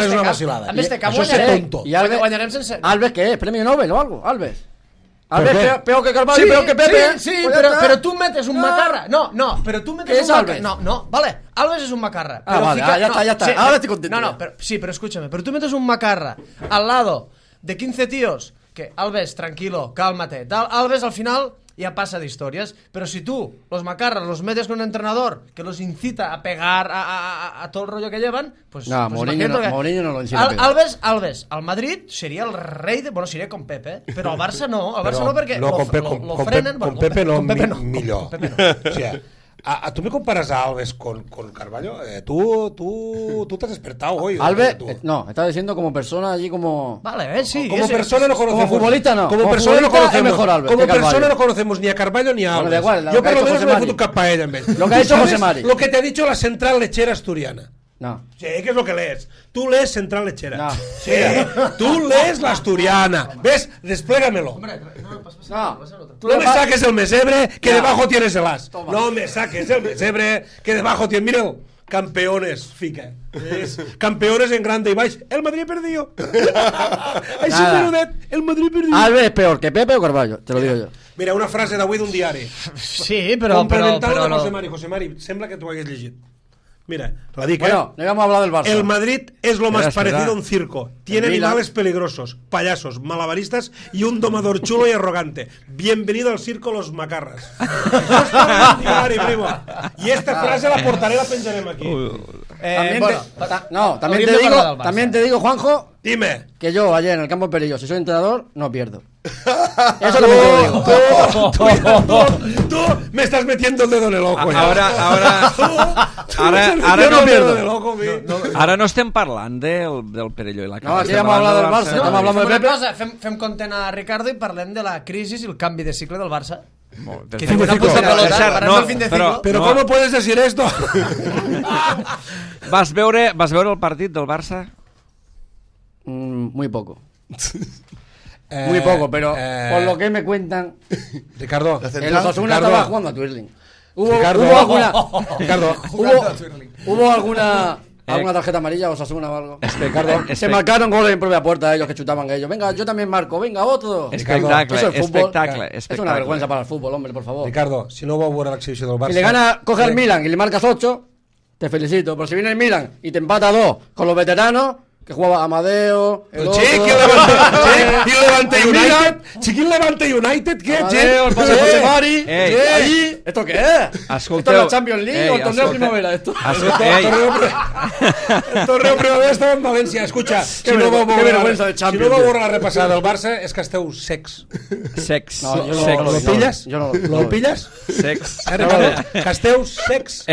és una vacilada. A més de cap això és tonto. Guanyarem sense... Alves, ¿qué es? ¿Premio Nobel o algo? Alves, peor que Carvalho, peor que Pepe. Sí, pero tú metes un macarra. No, pero tú metes un macarra. No, vale, Alves es un macarra. Vale, ya está. Ahora estoy contento. No, pero escúchame, pero tú metes un macarra al lado de 15 tíos que Alves, tranquilo, cálmate. Alves al final ya pasa de historias, pero si tú los macarras los metes con un entrenador que los incita a pegar a todo el rollo que llevan, pues... No, pues Mourinho no lo incita a pegar. Alves, al Madrid sería el rey de... Bueno, sería con Pepe, pero al Barça no. Al Barça no perquè lo frenen... Con Pepe no, millor. O sea, ¿tú me comparas a Alves con Carvalho? Tú te has despertado hoy. Alves, no, estaba diciendo como persona allí como... Vale, sí. Como persona no conocemos. Como futbolista no. Como persona no conocemos. Mejor Alves como persona no conocemos ni a Carvalho ni a Alves. Bueno, igual, yo por lo menos me he fotut cap a ella en vez. Lo que ha dicho José Mari. Lo que te ha dicho la central lechera asturiana. No. Sí, ¿qué es lo que lees? Tú lees Central Lechera. No. Sí, tú lees la asturiana. ¿Ves? Desplégamelo. No. No me saques el mesebre que debajo tienes el as. Toma. No me saques el mesebre que debajo tienes... Míralo. Campeones, fica. ¿Ves? Campeones en grande y baix. El Madrid perdió. Ay, sí, el Madrid perdió. Alves es peor que Pepe o Carvalho, te lo digo yo. Mira, una frase d'avui d'un diari. Sí, però... Complementada de José Mari. José Mari, sembla que tu ho hagués llegit. Mira, la dic, bueno, no íbamos a hablar del Barça. El Madrid es lo más parecido a un circo. Tiene animales peligrosos, payasos, malabaristas y un domador chulo y arrogante. Bienvenido al circo Los Macarras. Y esta frase la portaré, la pensarem aquí. También te digo, Juanjo, dime, que yo ayer en el campo de Perillo, si soy entrenador, no pierdo. Eso también te lo digo. Tú me estás metiendo el dedo en el ojo. Ara no estem parlant del Perelló i la Cala. No, aquí vamos a hablar del Barça. Estamos hablando de Pepe. Fem content a Ricardo i parlem de la crisi i el canvi de cicle del Barça. Pero ¿cómo puedes decir esto? Vas veure el partit del Barça? Muy poco. Muy poco, pero por lo que me cuentan, Ricardo, el Osasuna estaba jugando a Twirling. Ricardo, ¿Hubo alguna tarjeta amarilla o Osasuna o algo? Se marcaron goles en propia puerta ellos que chutaban ellos. Venga, yo también marco, venga, otro. Espectacle, Eso es fútbol. espectacle. Es una vergüenza para el fútbol, hombre, por favor. Ricardo, si no vau veure l'exhibició del Barça... Si le gana, coge al Milan y le marcas 8, te felicito. Pero si viene el Milan y te empata 2 con los veteranos, que jugaba Amadeo, el otro... Quin Levante United, què? Amadeo, el padre José Mari, allí... ¿Esto qué es? Escolteu... ¿Esto es la Champions League o el torneo primavera? Esto. El torneo primavera estava en València. Escucha, si no vau veure la repassada del Barça és que esteu secs. Sex. No, yo no, sex. no, Lo pilles? Yo no. Lo pilles? Sex. Ricardo, que esteu secs.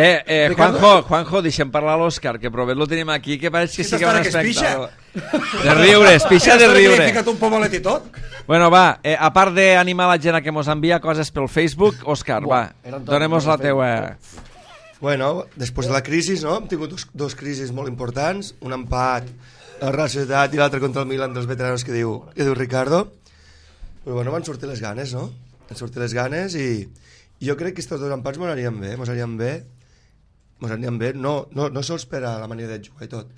Juanjo, deixem parlar l'Òscar, que prové lo tenim aquí, que pareix que Sí, sigui un que es pixa. espectacle. De riure, es pixa de Li he riure. ficat un pomalet i tot. Bueno, va, a part d'animar la gent a que mos envia coses pel Facebook, Òscar, va, donemos la teua... Bueno, després de la crisi, no? Hem tingut dos crisis molt importants, un empat a la Real Societat i l'altre contra el Milan dels veteranos que diu Ricardo. Però bueno, van sortir les ganes, no? Van sortir les ganes i jo crec que aquests dos empats mos anirien bé, no sols per a la manera de jugar i tot,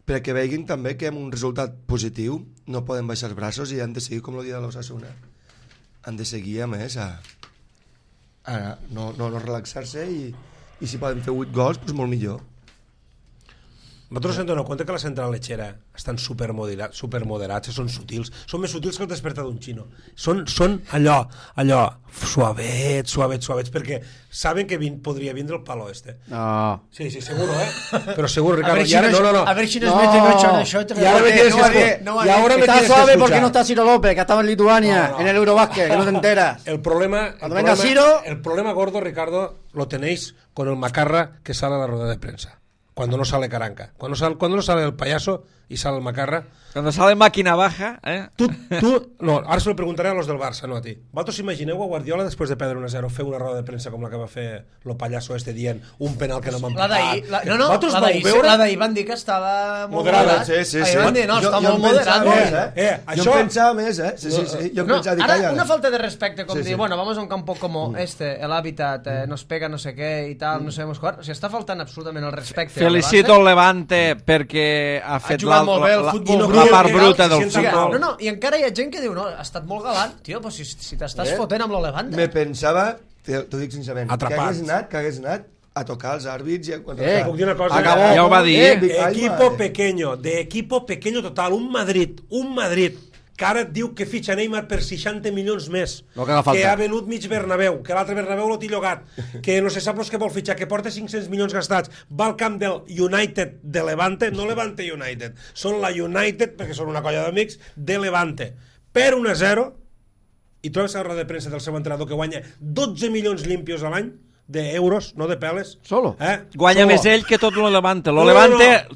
perquè veguin també que amb un resultat positiu no poden baixar els braços i han de seguir com el dia de l'Osasuna. Han de seguir, a més, a no relaxar-se i si poden fer 8 gols, doncs molt millor. Vosaltres ens doneu compte que la central lechera estan supermoderats, són sutils, són més sutils que el despertar d'un xino. Són allò, suavets, perquè saben que podria vindre el palo este. No. Sí, seguro, Pero seguro, Ricardo. A ver si nos meten 8 en això. Y ahora me tienes que Está suave escuchar. porque no está Ciro López, que estaba en Lituania, en el Eurobásquet, que no te enteras. El problema gordo, Ricardo, lo tenéis con el macarra que sale a la rueda de prensa. Cuando no sale Caranca. Cuando no sale el payaso y sale el macarra. Cuando sale máquina baja, No, ara se lo preguntaré a los del Barça, no a ti. Vosaltres imagineu a Guardiola després de perdre 1-0 fer una roda de premsa com la que va fer el pallasso este dient un penal que no m'han pitat? La d'ahir van dir que estava molt moderada. Sí. Van dir, no, està molt moderat. Jo pensava més, Sí. Jo pensava, Ara, una falta de respecte, com dir, bueno, vamos a un campo como el hábitat, nos pega no sé què i tal, no sabemos jugar. O sigui, està faltant absolutament el respecte. Felicito el Levante perquè ha fet jugat molt bé el futbol la part bruta del futbol. No, i encara hi ha gent que diu, no, ha estat molt galant, tio, però si t'estàs fotent amb el Levante. Me pensava, t'ho dic sincerament, Atrapats. que hagués anat a tocar els àrbits i Puc dir una cosa? Acabó. Ja ho va dir. De equipo pequeño total, un Madrid que ara et diu que fitxa Neymar per 60 milions més, que ha venut mig Bernabéu, que l'altre Bernabéu lo té llogat, que no se sap els que vol fitxar, que porta 500 milions gastats, va al camp del United de Levante, no Levante United, són la United, perquè són una colla d'amics, de Levante, per 1-0, i trobes la roda de premsa del seu entrenador que guanya 12 milions limpios a l'any, d'euros, no de peles. Solo? Guanya més ell que tot lo Levante.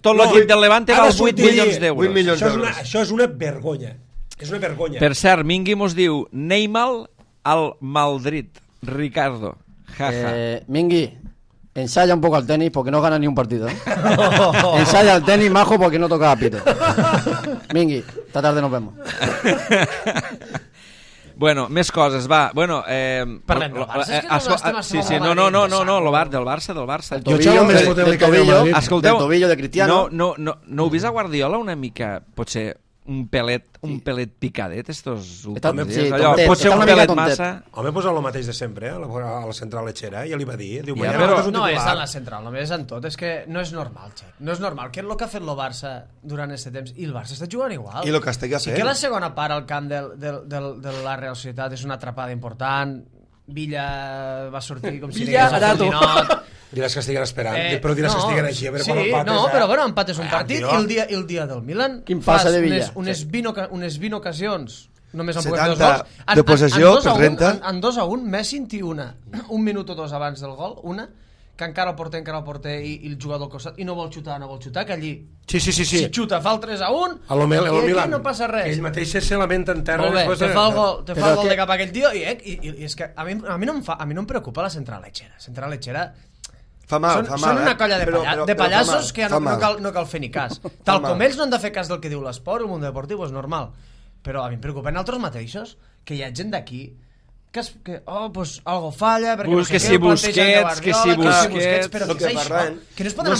Tot l'equip del Levante val 8 milions d'euros. Això és una vergonya. És una vergonya. Per cert, Mingui mos diu Neymar al Madrid. Ricardo. Jaja. Mingui, ensaya un poco al tenis porque no gana ni un partido. Ensaya al tenis, majo, porque no toca a pito. Mingui, esta tarde nos vemos. Bueno, més coses, va. Bueno, parlem del Barça, és que no estem sí, no, del Barça. Del tobillo, escolteu, del tobillo de Cristiano. No heu vist a Guardiola una mica, potser un pelet picadet estos últims dies? Pot ser un pelet massa. Home, pues el mateix de sempre, a la central lechera, ja li va dir. Diu, no és a la central, només és en tot. És que no és normal, Xec. No és normal. Què és el que ha fet el Barça durant aquest temps? I el Barça està jugant igual. I el que estigui fent. Sí que la segona part al camp de la Real Societat és una atrapada important. Villa va sortir com si digués a Ferdinand. Diràs que estiguen esperant, però diràs que estiguen així, a veure quan empates. No, però bueno, empat és un partit, i el dia del Milan fas unes 20 ocasions, només han pogut fer 2 gols. De possessió, per renta. En 2-1, Messi en té un minut o dos abans del gol, que encara el porter i el jugador al costat, i no vol xutar, que allí si xuta fa el 3-1 i aquí no passa res. Ell mateix se lamenta en terra. Molt bé, te fa el gol de cap a aquell tio, i és que a mi no em preocupa la central lechera. Són una colla de pallassos que no cal fer ni cas. Tal com ells no han de fer cas del que diu l'esport, el món deportiu és normal. Però a mi em preocupen altres mateixos, que hi ha gent d'aquí que algo falla, perquè no sé què, Busquets, però què és això? Que no es poden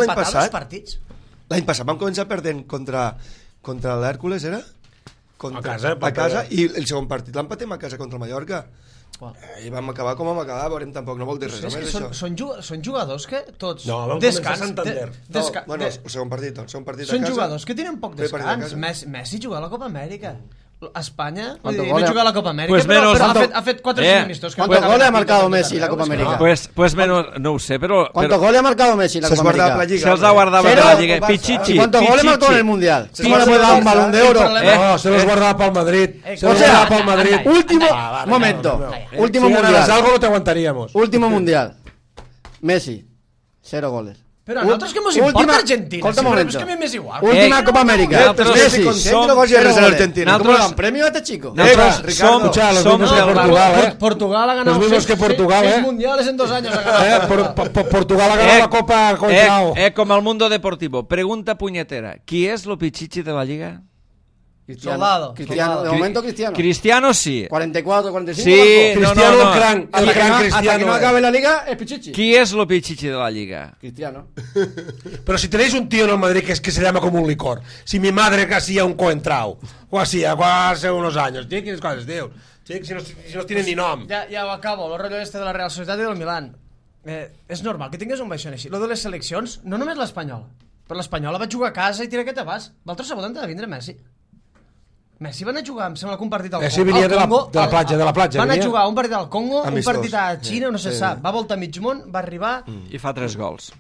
empatar els partits? L'any passat vam començar perdent contra l'Hèrcules, era? A casa, i el segon partit l'empatem a casa contra el Mallorca. I vam acabar com vam acabar, veurem, tampoc no vol dir res més això. Són jugadors que tots... No, vam començar a Santander. Bueno, el segon partit a casa... Són jugadors que tenen poc descans. Messi juga a la Copa Amèrica. España no juga a la Copa Amèrica, però ha fet 4 amistosos. ¿Cuántos goles ha marcado Messi en la Copa América? Pues menos, no ho sé, però... ¿Cuántos goles ha marcado Messi en la Copa América? Se'ls ha guardat per la Lliga. Pichichi. ¿Y cuántos goles marcó en el Mundial? ¿Cómo le puede dar un balón de oro? No, se los guardaba para el Madrid. Se los guardaba para el Madrid. Último momento. Último Mundial. Si ganaras algo no te aguantaríamos. Último Mundial. Messi, 0 goles. Però a nosaltres que mos importa Argentina, si és que a mi m'és igual. Última Copa América. Messi, ¿Nosaltres premio a este chico? Portugal ha ganado 6 mundiales en 2 años. Portugal ha ganado la Copa contra... Com al Mundo Deportivo. Pregunta puñetera. ¿Qui és lo pichichi de la Lliga? Cristiano. De momento Cristiano. Cristiano sí. 44, 45. Sí, Cristiano, el gran Cristiano. Hasta que no acabe la Liga, es Pichichi. ¿Qui es lo pichichi de la Liga? Cristiano. Pero si tenéis un tío en el Madrid que se llama como un licor, si mi madre que hacía un coentrao, o hacía hace unos años, quines coses dius? Si no tienen ni nom. Ja ho acabo, el rotllo este de la Real Societat i del Milan. És normal que tingués un baixón així. Lo de les seleccions, no només l'espanyola, però l'espanyola va jugar a casa i tira aquest abast. L'altre sabut de vindre Messi. Messi van a jugar, em sembla que un partit al Congo. Messi venia de la platja. Van a jugar un partit al Congo, un partit a Xina, no se sap. Va voltar mig món, va arribar... I fa 3 gols.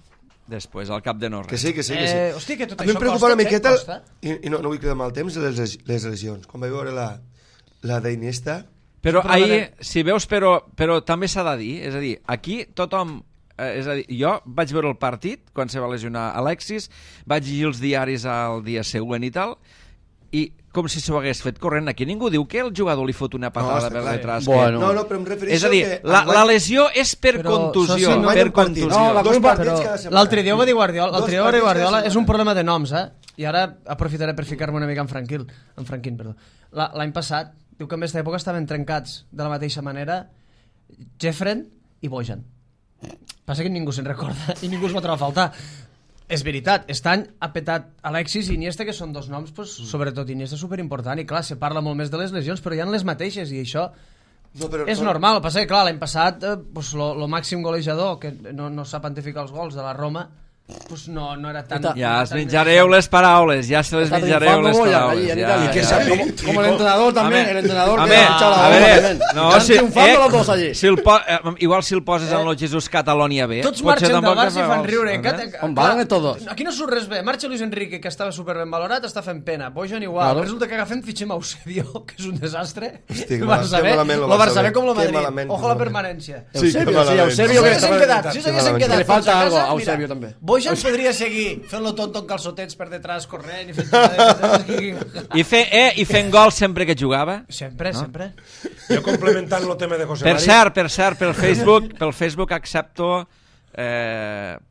Després, al cap de no res. Que sí. Hosti, que tot a mi això em preocupa una miqueta, i no vull cridar mal temps, les lesions. Quan vaig veure la d'Iniesta... Però ahir, si veus, però també s'ha de dir, és a dir, aquí tothom... És a dir, jo vaig veure el partit quan se va lesionar Alexis, vaig llegir els diaris al dia següent i tal, i com si s'ho hagués fet corrent. Aquí ningú diu que el jugador li fot una patada per detrás. No, però em refereixo és a dir, la lesió és per contusió. L'altre dia ho va dir Guardiola, és un problema de noms, i ara aprofitaré per ficar-me una mica en Franquín. L'any passat, diu que en aquesta època estaven trencats de la mateixa manera Jeffren i Bojan. Passa que ningú se'n recorda i ningú es va trobar a faltar. És veritat, aquest any ha petat Alexis i Iniesta, que són 2 noms, sobretot Iniesta, superimportant, i clar, se parla molt més de les lesions, però hi ha les mateixes, i això és normal. El que passa que, clar, l'any passat, el màxim golejador, que no sap quantificar els gols de la Roma, no era tan... Ja es menjareu les paraules, ja se les menjareu les paraules. Y que como el entrenador también, el entrenador que ha triunfando los dos allí. Igual si el poses en el Jesús Catalonia B. Tots marxen del Barça i fan riure. On van tots? Aquí no surt res bé. Marxa Luis Enrique, que estava superben valorat, està fent pena. Bojan igual. Resulta que agafem fitxem Eusebio, que és un desastre. El Barça B com el Madrid. Ojo a la permanència. Eusebio que s'haguessin quedat. Le falta algo a Eusebio també. Bojan podria seguir fent-lo tonto en calçotets per detrás, corrent i fent gol sempre que jugava. Sempre. Jo complementant el tema de José María. Per cert, pel Facebook accepto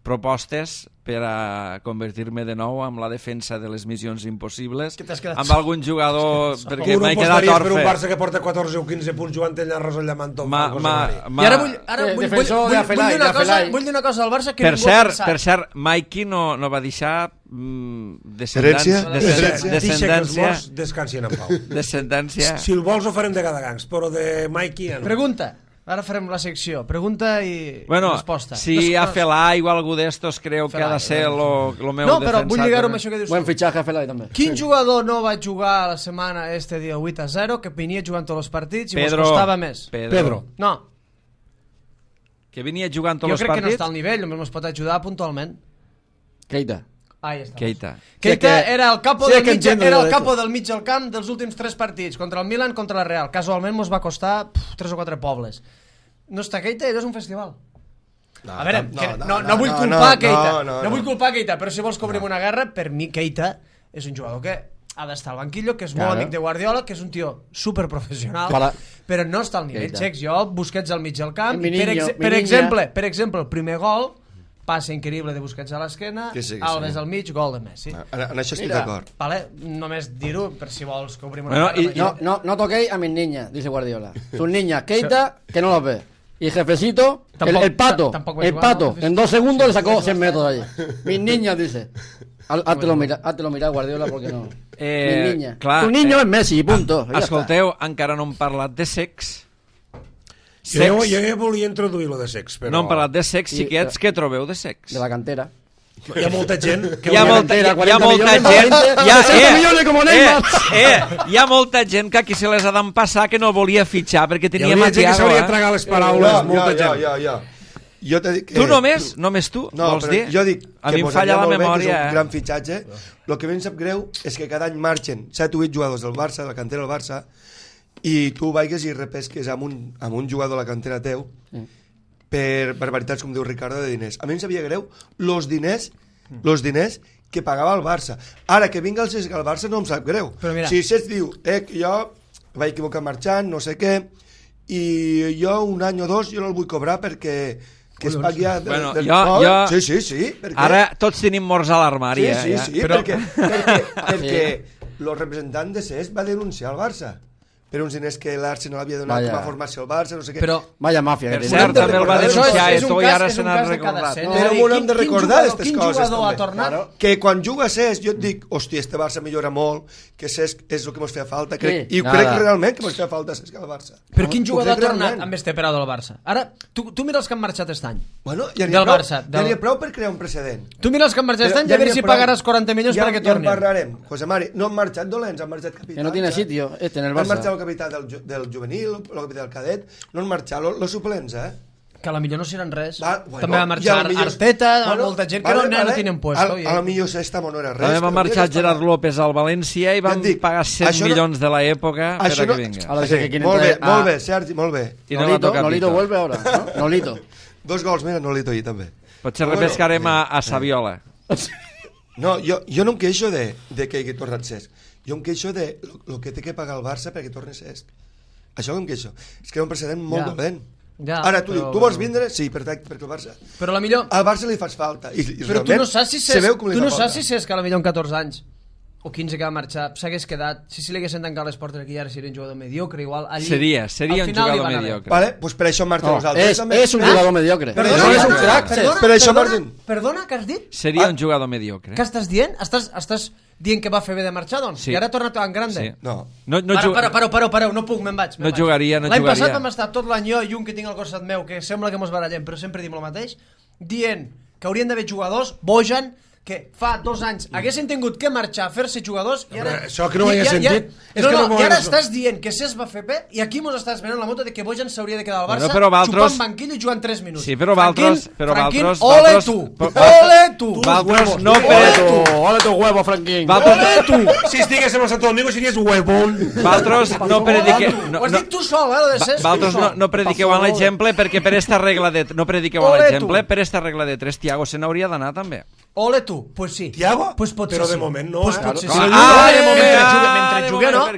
propostes per a convertir-me de nou en la defensa de les missions impossibles amb algun jugador, perquè m'he quedat orfe. Per un Barça que porta 14 o 15 punts jugant el Arros al Llamanto. I ara vull dir una cosa al Barça que per cert, Mikey no va deixar descendència. Descansin en pau. Descendència. Si el vols ho farem de Gadagangs, però de Mikey ja no. Pregunta. Ara farem la secció. Pregunta i resposta. Si a Felai o algú d'estos creu que ha de ser el meu defensat. No, però vull lligar-ho amb això que dius. Buen fitxatge a Felai també. Quin jugador no va jugar la setmana dia 8-0, que venia jugant tots els partits i mos costava més? Pedro. No. Que venia jugant tots els partits? Jo crec que no està al nivell, només mos pot ajudar puntualment. Keita. Ahí està. Keita era el capo del mig del camp dels últims 3 partits, contra el Milan, contra la Real. Casualment mos va costar 3 o 4 pobles. No està Keita i és un festival. A veure, no vull culpar Keita, no vull culpar Keita, però si vols que obrim una guerra, per mi Keita és un jugador que ha d'estar al banquillo, que és molt amic de Guardiola, que és un tio superprofessional, però no està al nivell. Xecs, jo, Busquets al mig del camp, per exemple, el primer gol passe increïble de Busquets a l'esquena, Alves al mig, gol de Messi. En això estic d'acord. Vale, només dir-ho per si vols que obrim Bueno, una No toquéis a mis niñas, dice Guardiola. Sus niñas, Keita, que no los ve. Y jefecito, el pato, en 2 segundos le sacó 100 metros de allí. Mis niñas, dice. Háztelo mirar, Guardiola, porque no. Mis niñas. Clar, tu niño es Messi, punto. Escolteu, encara no hem parlat de sex. Jo ja volia introduir lo de sex, però... No hem parlat de sex, xiquets, què trobeu de sex? De la cantera. Hi ha molta gent... Hi ha molta gent... Hi ha molta gent que aquí se les ha d'empassar que no volia fitxar perquè tenia Matiago. Hi hauria gent que s'hauria de tragar les paraules, molta gent. Jo t'he dit que... Tu només tu, vols dir? Jo dic a mi em falla la memòria. És un gran fitxatge. El que a mi em sap greu és que cada any marxen 7 o 8 jugadors del Barça, de la cantera del Barça, i tu vaigues i repesques amb un jugador de la cantera teu per barbaritats, com diu Ricardo, de diners. A mi em sabia greu los diners que pagava el Barça. Ara que vinga el Cesc al Barça no em sap greu. Si Cesc diu que jo vaig equivocar marxant, no sé què, i jo un any o 2 jo no el vull cobrar perquè que es pagui sí, ara tots tenim morts a l'armari. Sí, perquè el representant de Cesc va denunciar el Barça per uns diners que l'Arsenal havia donat com a formació al Barça, no sé què. Però, vaya màfia. Per cert, també el va denunciar i ara se n'ha recordat. Però no hem de recordar aquestes coses. Quin jugador ha tornat? Que quan juga Cesc, jo et dic, hòstia, este Barça millora molt, que Cesc és el que ens feia falta, i crec realment que ens feia falta Cesc al Barça. Però quin jugador ha tornat amb este període del Barça? Ara, tu mira els que han marxat aquest any. Bueno, ja n'hi ha prou per crear un precedent. Tu mira els que han marxat aquest any i a veure si pagaràs 40 milions perquè tornin. Ja en parlarem. José Mari, no han marxat dolents, han marxat capitans. Que no tiene sitio en el Barça. Han marxat el capità del juvenil, el capità del cadet, no han marxat los suplents, que a la millor no seran res. També va marxar Arteta, molta gent que no tenen puesto. A la millor Sestamo no era res. També va marxar Gerard López al València i van pagar 100 milions de l'època per a que vinga. Molt bé, Sergi, molt bé. Nolito vuelve ahora, ¿no? Nolito. 2 gols, mira, Nolito ahí també. Potser repescarem a Saviola. No, jo no em queixo de que hagi tornat Cesc. Jo em queixo de lo que té que pagar el Barça perquè torni Cesc. Això em queixo. És que és un precedent molt dolent. Ara tu dius, tu vols vindre? Sí, perfecte, perquè el Barça... Però la millor... Al Barça li fas falta. Però tu no saps si Cesc que a la millor amb 14 anys o 15 que va marxar s'hagués quedat, si li haguessin tancat les portes aquí ara seria un jugador mediocre, igual allí... Seria un jugador mediocre. Vale, doncs per això marxa nosaltres. És un jugador mediocre. No és un crac. Per això marxen. Perdona, què has dit? Seria un jugador mediocre. Què estàs dient? Estàs dient que va fer bé de marxar, doncs? I ara ha tornat tan grande? No. Pareu, no puc, me'n vaig. No jugaria. L'any passat vam estar tot l'any jo i un que tinc al costat meu, que sembla que mos barallem, però sempre dim el mateix, dient que haurien d'haver jugadors, Bojan, que fa 2 anys haguessin tingut que marxar a fer-se jugadors i ara... Això que no ho havia sentit... I ara estàs dient que Cesc va fer bé i aquí mos estàs venent la moto de que Bojan s'hauria de quedar al Barça xupant banquillo i jugant 3 minuts. Sí, però Valtros... Franquín, ole tu! Valtros no... Ole tu huevo, Franquín! Ole tu! Si estigués en el Santo Domingo series huevón. Valtros no predique... Ho has dit tu sol, lo de Cesc. Valtros no prediqueu en l'exemple perquè per esta regla de... No prediqueu en l'exemple, per esta regla de 3 Thiago se n'hauria d'anar també. Ole tu, pues sí. Thiago? Pues potser però de sí. moment no, pues potser sí. Mentre juga no.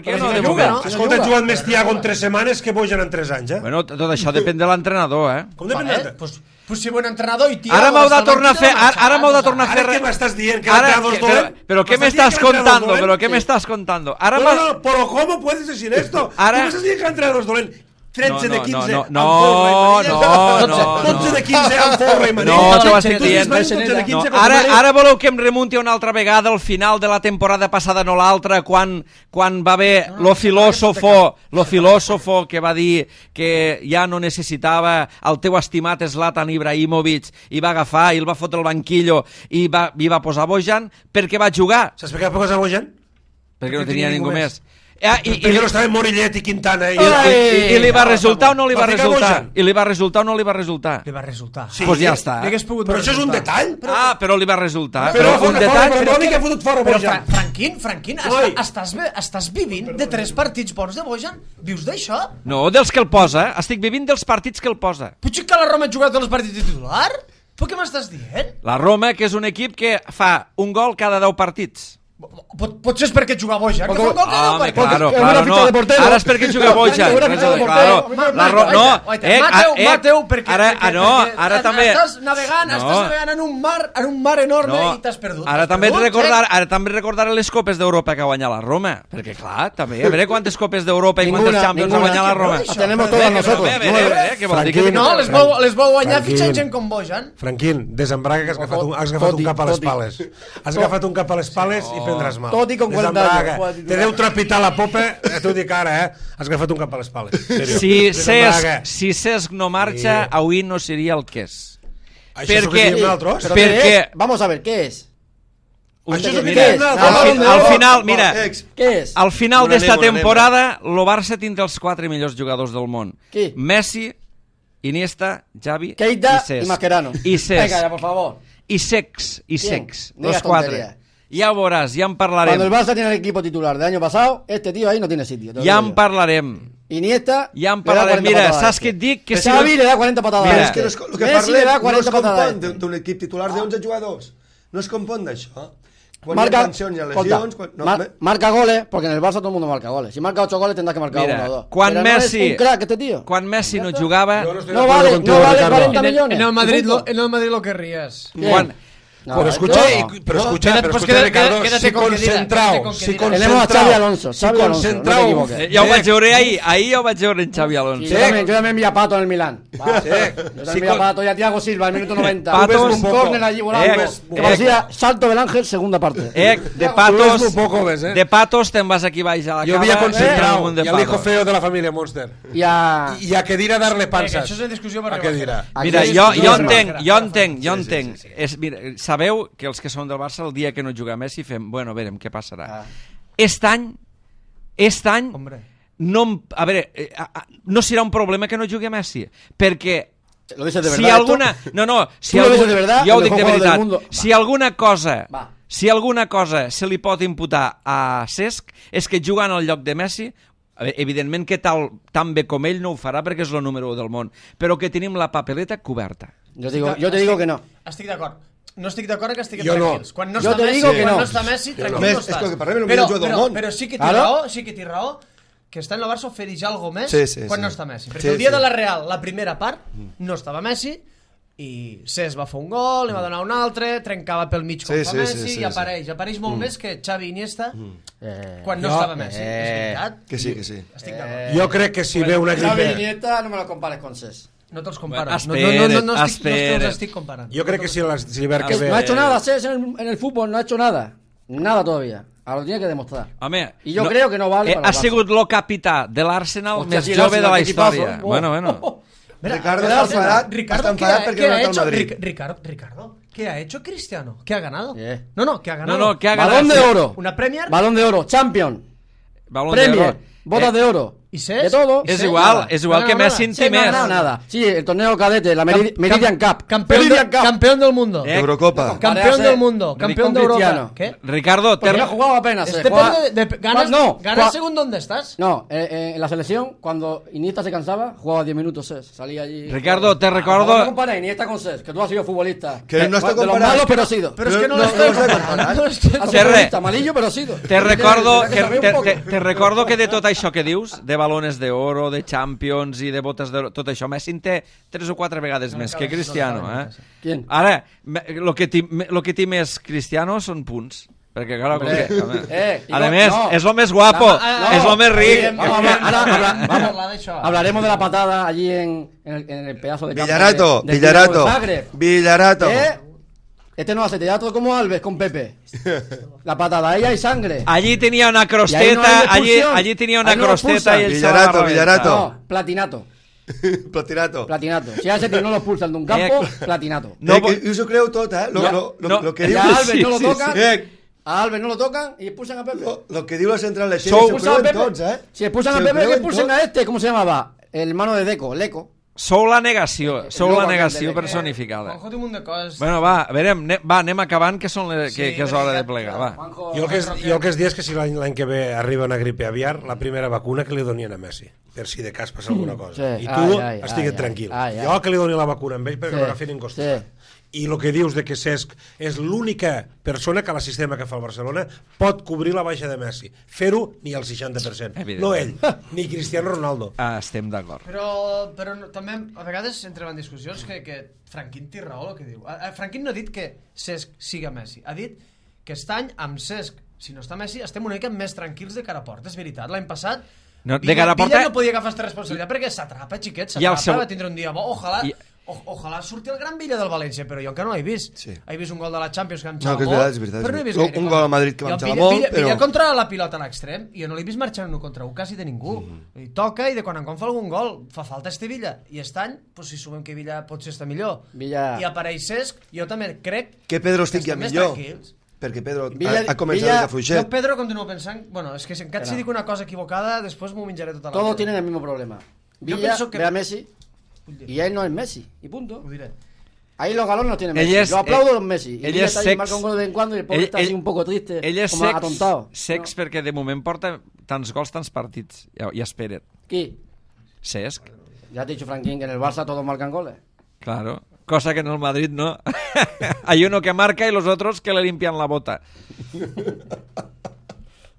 Escolta, han jugat més Thiago en 3 setmanes que Bojan en 3 anys, Bueno, tot això depèn de l'entrenador, Com depèn? Pues si bon entrenador i Thiago... Ara m'heu de tornar a fer... Ara m'heu de tornar a fer... Ara què m'estàs dient? Que l'entrenador és dolent? Però què m'estàs contando? Però què m'estàs contando? No, però com puedes decir esto? Tu m'estàs dient que l'entrenador és dolent? 13 de 15 amb forra i manilla. 12 de 15 amb forra i manilla. No, t'ho estic dient. Ara voleu que em remunti una altra vegada al final de la temporada passada, no l'altra, quan va haver lo filòsofo que va dir que ja no necessitava el teu estimat Zlatan Ibrahimovic i va agafar i el va fotre al banquillo i va posar Bojan perquè va jugar. Saps per què va posar Bojan? Perquè no tenia ningú més. Perquè no estava Morillet i Quintana i li va resultar o no li va resultar? I li va resultar o no li va resultar? Li va resultar. Doncs ja està. Però això és un detall. Però li va resultar. Però un detall. Però Franquín, estàs vivint de 3 partits bons de Bojan? Vius d'això? No, dels que el posa. Estic vivint dels partits que el posa. Potser que la Roma ha jugat tots els partits de titular? Però què m'estàs dient? La Roma, que és un equip que fa un gol cada 10 partits. Potser és perquè juga Bojan, que fa un gol que no, Home, perquè... claro, no. Ara és perquè juga Bojan. Mateu, perquè... Ara també... Estàs navegant en un mar enorme i t'has perdut. Ara també recordar les copes d'Europa que ha guanyat la Roma, perquè clar, també, a veure quantes copes d'europa i quantes Champions ha guanyat la Roma. Tenemos todas nosotros. No, les vol guanyar fitxant gent com Bojan. Franquín, desembraga que has agafat un cap a les pales. Has agafat un cap a les pales i prendràs mal. Tot i con 40 anys. Te deu trepitar la popa, t'ho dic ara, Has agafat un cap a les pales. Si Cesc no marxa, avui no seria el que és. Això és el que diem nosaltres? Perquè... Vamos a ver, ¿qué es? Això és el que Mira, diem nosaltres? al final, mira, ¿Qué es? al final Una d'esta anem, una temporada, el Barça tindrà els 4 millors jugadors del món. Qui? Messi, Iniesta, Xavi Keita i Cesc. y Mascherano. I Cesc. Venga, ya, por favor. I Sex, ¿Quién? los Diga 4. tontería. Ja veuràs, ja en Cuando el parlarem. Barça tiene el equipo titular del año pasado, este tío ahí no tiene sitio. te lo Ja digo en yo. parlarem. Iniesta Ja en le da parlarem. 40 Mira, patadas a saps este. què et dic? Que Xavi le da 40 patadas Mira, a És este. que el que Messi le da parlem no 40 es patadas a compon este. d'un equip titular d'11 jugadors. No es compon d'això. Quan Marca, hi ha tensions, hi ha lesions... marca goles, porque en el Barça todo el mundo marca goles. Si marca 8 goles tendrás que marcar Mira, 1 o 2. quan Pero Messi- no es un crack este tío. Quan Messi no jugava... No vale 40 millones. En el Madrid ¿De lo querrías. Quan... No, Pero escucha, Ricardo, quédate con concentrado, que tenemos a Xavi Alonso. Xavi Alonso, no te equivoques. Ja ho vaig veure ahir ho vaig veure en Xavi Alonso. Sí, yo también vi a Pato en el Milán. Yo también vi a Pato y a Thiago Silva en el minuto 90. Patos, un córner allí volando. Que parecía salto del Ángel, segunda parte. De Patos te'n vas aquí baix a la Yo cava. vi a Concentrao un de y al hijo Patos. feo de la familia Monster. Y a... Y a Kedira darle panzas. Això és una discussió per A Kedira. Mira, Aquí jo és- entenc. Mira, sabeu que els que són del Barça el dia que no juga Messi fem, bueno, verem què passarà. Aquest any Hombre. no, a veure, no serà un problema que no jugui Messi, perquè ¿Lo dices de verdad? si alguna... No, si ¿Tú lo dices de verdad? jo ho El dic de mejor jugador veritat. del mundo. Si alguna cosa... Va. Si alguna cosa se li pot imputar a Cesc és que jugant al lloc de Messi, evidentment que tan bé com ell no ho farà perquè és el número 1 del món, però que tenim la papeleta coberta. Yo te digo que no. Estic d'acord. No estic d'acord que estiguem Jo no. tranquils. Quan no Jo està te Messi, digo que quan no. no està Messi, tranquil Més, no és estàs. que per mi és el millor jugador del món. Però sí que té Claro. raó, que està en el Barça ofereix algo més Sí, quan sí. no està Messi. Perquè Sí, el dia sí. de la Real, la primera part, no estava Messi, i Cesc va fer un gol, li va donar un altre, trencava pel mig com Sí, fa sí, Messi, sí, i apareix molt més que Xavi i Iniesta quan no Jo- estava Messi. És veritat. Que sí, que sí. Estic d'acord. Jo crec que si ve una Xavi gripe... Iniesta no me lo compares con Cesc. No te'ls comparo. Bueno, No espera't. te'ls estic comparant. Jo crec que si l'hivern que No ha ve... hecho nada Cesc en el fútbol, no ha hecho nada. Nada todavía. Ahora lo tiene que demostrar. Home, Y yo creo que no vale para ha el Barça. sigut el capità de l'Arsenal Hòstia, més sí, jove de l'Arsenal, la que equipazo. història. Oh. Bueno. Ricardo està enfadat, Ricardo, està enfadat perquè no ha anat al Madrid. Ricardo, ¿qué ha hecho Cristiano? ¿Qué ha ganado? Yeah. No, ¿qué ha ganado? No, que ha ganat. Balón de oro. Una Premier Balón de oro. Champion. Balón de Premier. oro. Botas de oro. ¿Y Cesc? De todo. És Sí, igual, nada. és igual No, que no, Messi en sí, té no, més. No, nada. Sí, el torneo cadete, la Meridian Cup. Campeón, campeón del mundo. Eurocopa. Campeón del mundo. Campeón de Europa. Cristiano. ¿Qué? Ricardo, Porque no ha jugado apenas. Depende de ganas, No, ganas según dónde estás. No, en la selección, cuando Iniesta se cansaba, jugaba 10 minutos Cesc. Salía allí. Ricardo, te No recordo... compares Iniesta con Cesc, que tú has sido futbolista. Que no estoy De los comparando. malos, pero has sido. Pero es que no No, lo estoy no lo estoy comparando. Has sido Terre. futbolista, malillo, pero has sido. Te recordo Tienes que saber un poco. te recordo que de tot això que dius, de balones d'oro, de Champions i de botes d'oro, tot això, Messi en té 3 o 4 vegades més que Cristiano, ¿Quién? Ara, lo que té més Cristiano són punts. Perquè, clar, a més, és el més guapo, és el més ric. Vamos, hablaremos de la patada allí en el pedazo de campo Villarato. de Zagreb. Villarato. Este no hace teatro como Alves con Pepe. La patada, ahí hay sangre. Allí tenia una Y ahí no crosteta, hay expulsión. allí tenia una Ahí no lo crosteta expulsan. i ell se la va rebentar. Villarato. No, platinato. Platinato. Platinato. Si a ese tío no lo expulsan de un campo, platinato. No, I us ho creu tot, Lo que Y diu... a Alves sí, no lo sí, tocan. sí. A Alves no lo tocan y expulsan a Pepe. Lo que diu la central de Sou- Xevi, s'ho creuen tots, Si expulsan a Se ho Pepe, que creuen expulsen tots. a este. ¿Cómo se llamaba? El hermano de Deco, Leco. Sou la negació de- personificada. Juanjo té un munt de coses. Bueno, va, a veure, anem acabant, que és hora de plegar, va. Juanjo, Jo el que es diu és que si l'any que ve arriba una gripe aviar, la primera vacuna que li donien a Messi. per si de cas passa alguna cosa. Sí. I tu Ai, estigues tranquil. ai. Jo que li doni la vacuna amb ell perquè Sí, no agafin en costat. I el que dius de que Cesc és l'única persona que a la sistema que fa el Barcelona pot cobrir la baixa de Messi. Fer-ho ni al 60%. No ell, ni Cristiano Ronaldo. Estem d'acord. Però també a vegades entrem en discussions que Franquín té raó el que diu. Franquín no ha dit que Cesc siga Messi, ha dit que aquest any amb Cesc, si no està Messi, estem una mica més tranquils de cara a porta, és veritat. L'any passat Villa no podia agafar aquesta responsabilitat perquè s'atrapa, xiquet, va tindre un dia bo. Ojalà surti el gran Villa del València, però jo encara no l'he vist. He vist un gol de la Champions que em xala molt, però no he vist gaire. Un gol a Madrid que em xala molt, però... Villa contra la pilota a l'extrem, i jo no l'he vist marxar en 1 contra 1 quasi de ningú. I toca, i de quan en quan fa algun gol, fa falta este Villa. I aquest any, si sumem que Villa potser està millor, i apareix Cesc, jo també crec que Pedro estigui millor. Perquè Pedro ha començat a fluixer. Jo Pedro continuo pensant... Bueno, és que si encara si dic una cosa equivocada, després m'ho menjaré tota la vida. Todos tienen el mismo problema. Villa ve a Messi y él no es Messi, y punto. Ahí los galones no tienen Messi. Yo aplaudo a los Messi. Y Villa está ahí, marca un gol de vez en cuando y el pobre está así un poco triste, como atontado. Cesc perquè de moment porta tants gols, tants partits. Ja espera't. ¿Qui? Cesc. Ya te he dicho, Franquín, que en el Barça todos marcan goles. Claro. Cosa que en el Madrid no. Hay uno que marca y los otros que le limpian la bota.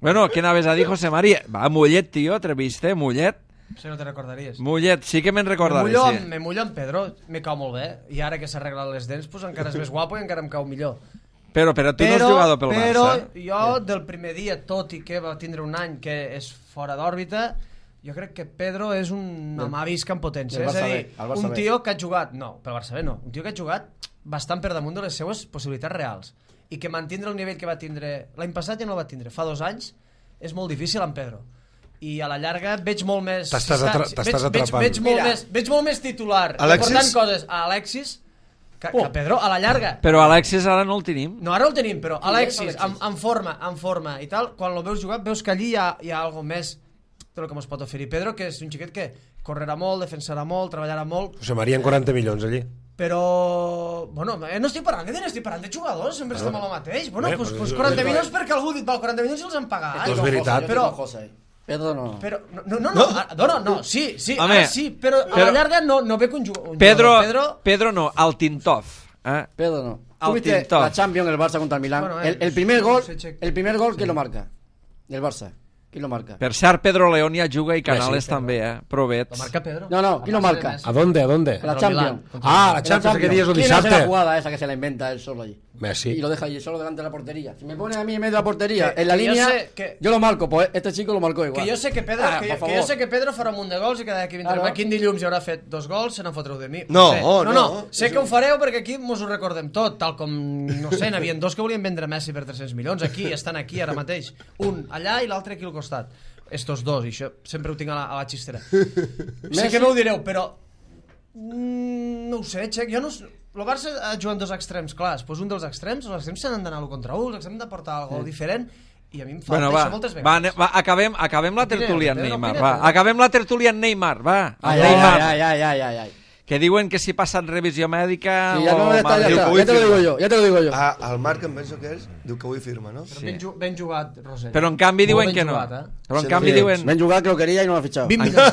Bueno, ¿qué naves a dir, José María? Va, Mullet, tío, ¿te Mullet? Si no te recordaries. Mullet, sí que me'n recordaré. Me mullo amb Pedro, me cau molt bé. I ara que s'ha arreglat les dents, pues encara és més guapo i encara em cau millor. Però tu no has jugat pel Barça. Però jo, del primer dia, tot i que va tindre un any que és fora d'òrbita, jo crec que Pedro és un amavisc en potència. És a dir, un tio que ha jugat... No, pel Barça B no. Un tio que ha jugat bastant per damunt de les seues possibilitats reals. I que mantindre el nivell que va tindre... L'any passat ja no el va tindre. Fa 2 anys és molt difícil amb Pedro. I a la llarga veig molt més... T'estàs atrapant. Veig molt més titular. Portant coses a Alexis que a Pedro a la llarga. Però Alexis ara no el tenim. No, ara el tenim, però Alexis en forma i tal, quan el veus jugar veus que allí hi ha algo més de lo que ens pot oferir Pedro, que és un xiquet que correrà molt, defensarà molt, treballarà molt. José María en 40 milions allí. Però, bueno, no estic parlant de diners, estic parlant de jugadors, sempre estem a lo mateix. Bueno, doncs 40 milions perquè algú ha dit, 40 milions i els han pagat. És veritat. Però... Pedro no. Però, no, sí, ara sí, però a la llarga no ve con un jugador. Pedro no, al Tintov. Pedro no. ¿Tú viste la Champions, el Barça contra el Milán? El primer gol, ¿quién lo marca? El Barça. Qui lo marca? Per cert, Pedro León ja juga i Canales també, Provets. ¿Lo marca Pedro? No, ¿quién lo marca? ¿A dónde? La Champions. La Champions, ¿qué día es el ¿Quién hace la jugada esa que se la inventa él solo allí? Messi. Y lo deja allí solo delante de la portería. Si me pone a mí en medio de la portería, en la línea, yo lo marco, pues este chico lo marcó igual. Que yo sé que Pedro farà un munt de gols i que d'aquí vindrem aquí en dilluns i haurà fet 2 gols, se n'en fotreu de mi. No. Sé que ho fareu perquè aquí mos ho recordem tot, tal com, no sé, n'havien 2 que volien vendre Messi per 300 milions, estan aquí ara mateix. Un allà i l'altre aquí al costat. Estos 2, i això sempre ho tinc a la xistera. Sé que m'ho direu, però no ho sé, Xec, jo no... El Barça ha jugat 2 extrems clars, doncs un dels extrems, els extrems s'han d'anar 1 contra 1, els extrems han de portar algo diferent, i a mi em falta això moltes vegades. Va, acabem la tertúlia en Neymar, va. Acabem la tertúlia en Neymar, va. Ai. Que diuen que si passen revisió mèdica... Sí, ja te lo digo yo. El Marc, em penso que és, diu que avui firma, no? Però ben jugat, Roser. Però en canvi diuen que no. Però en canvi diuen... Ben jugat, que lo quería y no lo ha fichado. 20 millones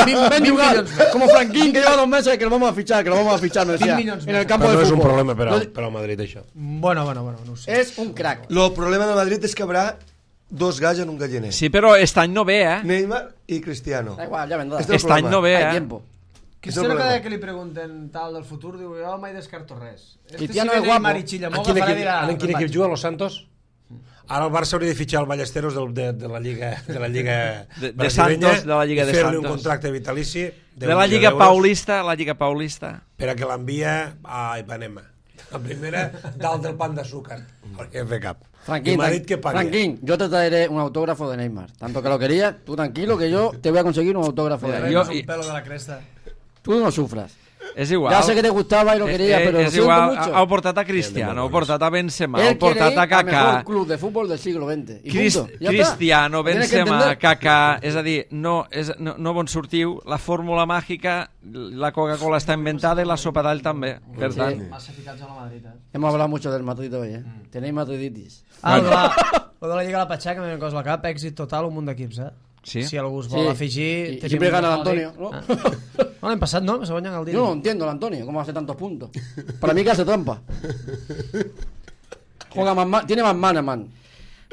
més. Ben jugat, como Franquín, que lleva 2 meses, que lo vamos a fichar, me decía. En el campo de fútbol. Però no és un problema per al Madrid, això. Bueno, no sé. És un crack. El problema de Madrid és que habrà 2 galls en un galliner. Sí, però aquest any no ve, Neymar i Cristiano. Da igual, ya vendrá. Aquest any no ve, Hay tiempo. Cristiano cada que li pregunten tal del futur diu jo mai descarto res. Cristiano és guapo. En quin equip juga, Los Santos? Ara el Barça hauria de fitxar el Ballesteros de la Lliga de Santos, de la Lliga de Santos. Fer-li un contracte vitalici de la Lliga Paulista, per a que l'envia a Ipanema. La primera, dalt del pan d'azúcar. Perquè fer cap. Franquín, yo te traeré un autógrafo de Neymar. Tanto que lo quería, tú tranquilo que yo te voy a conseguir un autógrafo de Neymar. Un pelo de la cresta. Tú no sufras. És igual. Ya sé que te gustaba y lo quería, pero lo siento mucho. Heu portat a Cristiano, heu portat a Benzema, heu portat a Kaká. El mejor club de fútbol del siglo XX. Cristiano, Benzema, Kaká... És a dir, no bon sortiu, la fórmula màgica, la Coca-Cola està inventada i la sopa d'all també. Per tant... Massa ficats a la Madrid, Hemos hablado mucho del Madrid hoy, Tenéis madriditis. Lo de la Lliga de la Patxaca, m'he cosa al cap, èxit total, un munt d'equips, Sí. Si algú es vol afegir... Y siempre gana el Antonio, ¿no? No, l'any passat no, se guanyen el Yo Dini. no entiendo el Antonio, cómo hace tantos puntos. Para mí que hace trampa. Juega tiene más mana, man.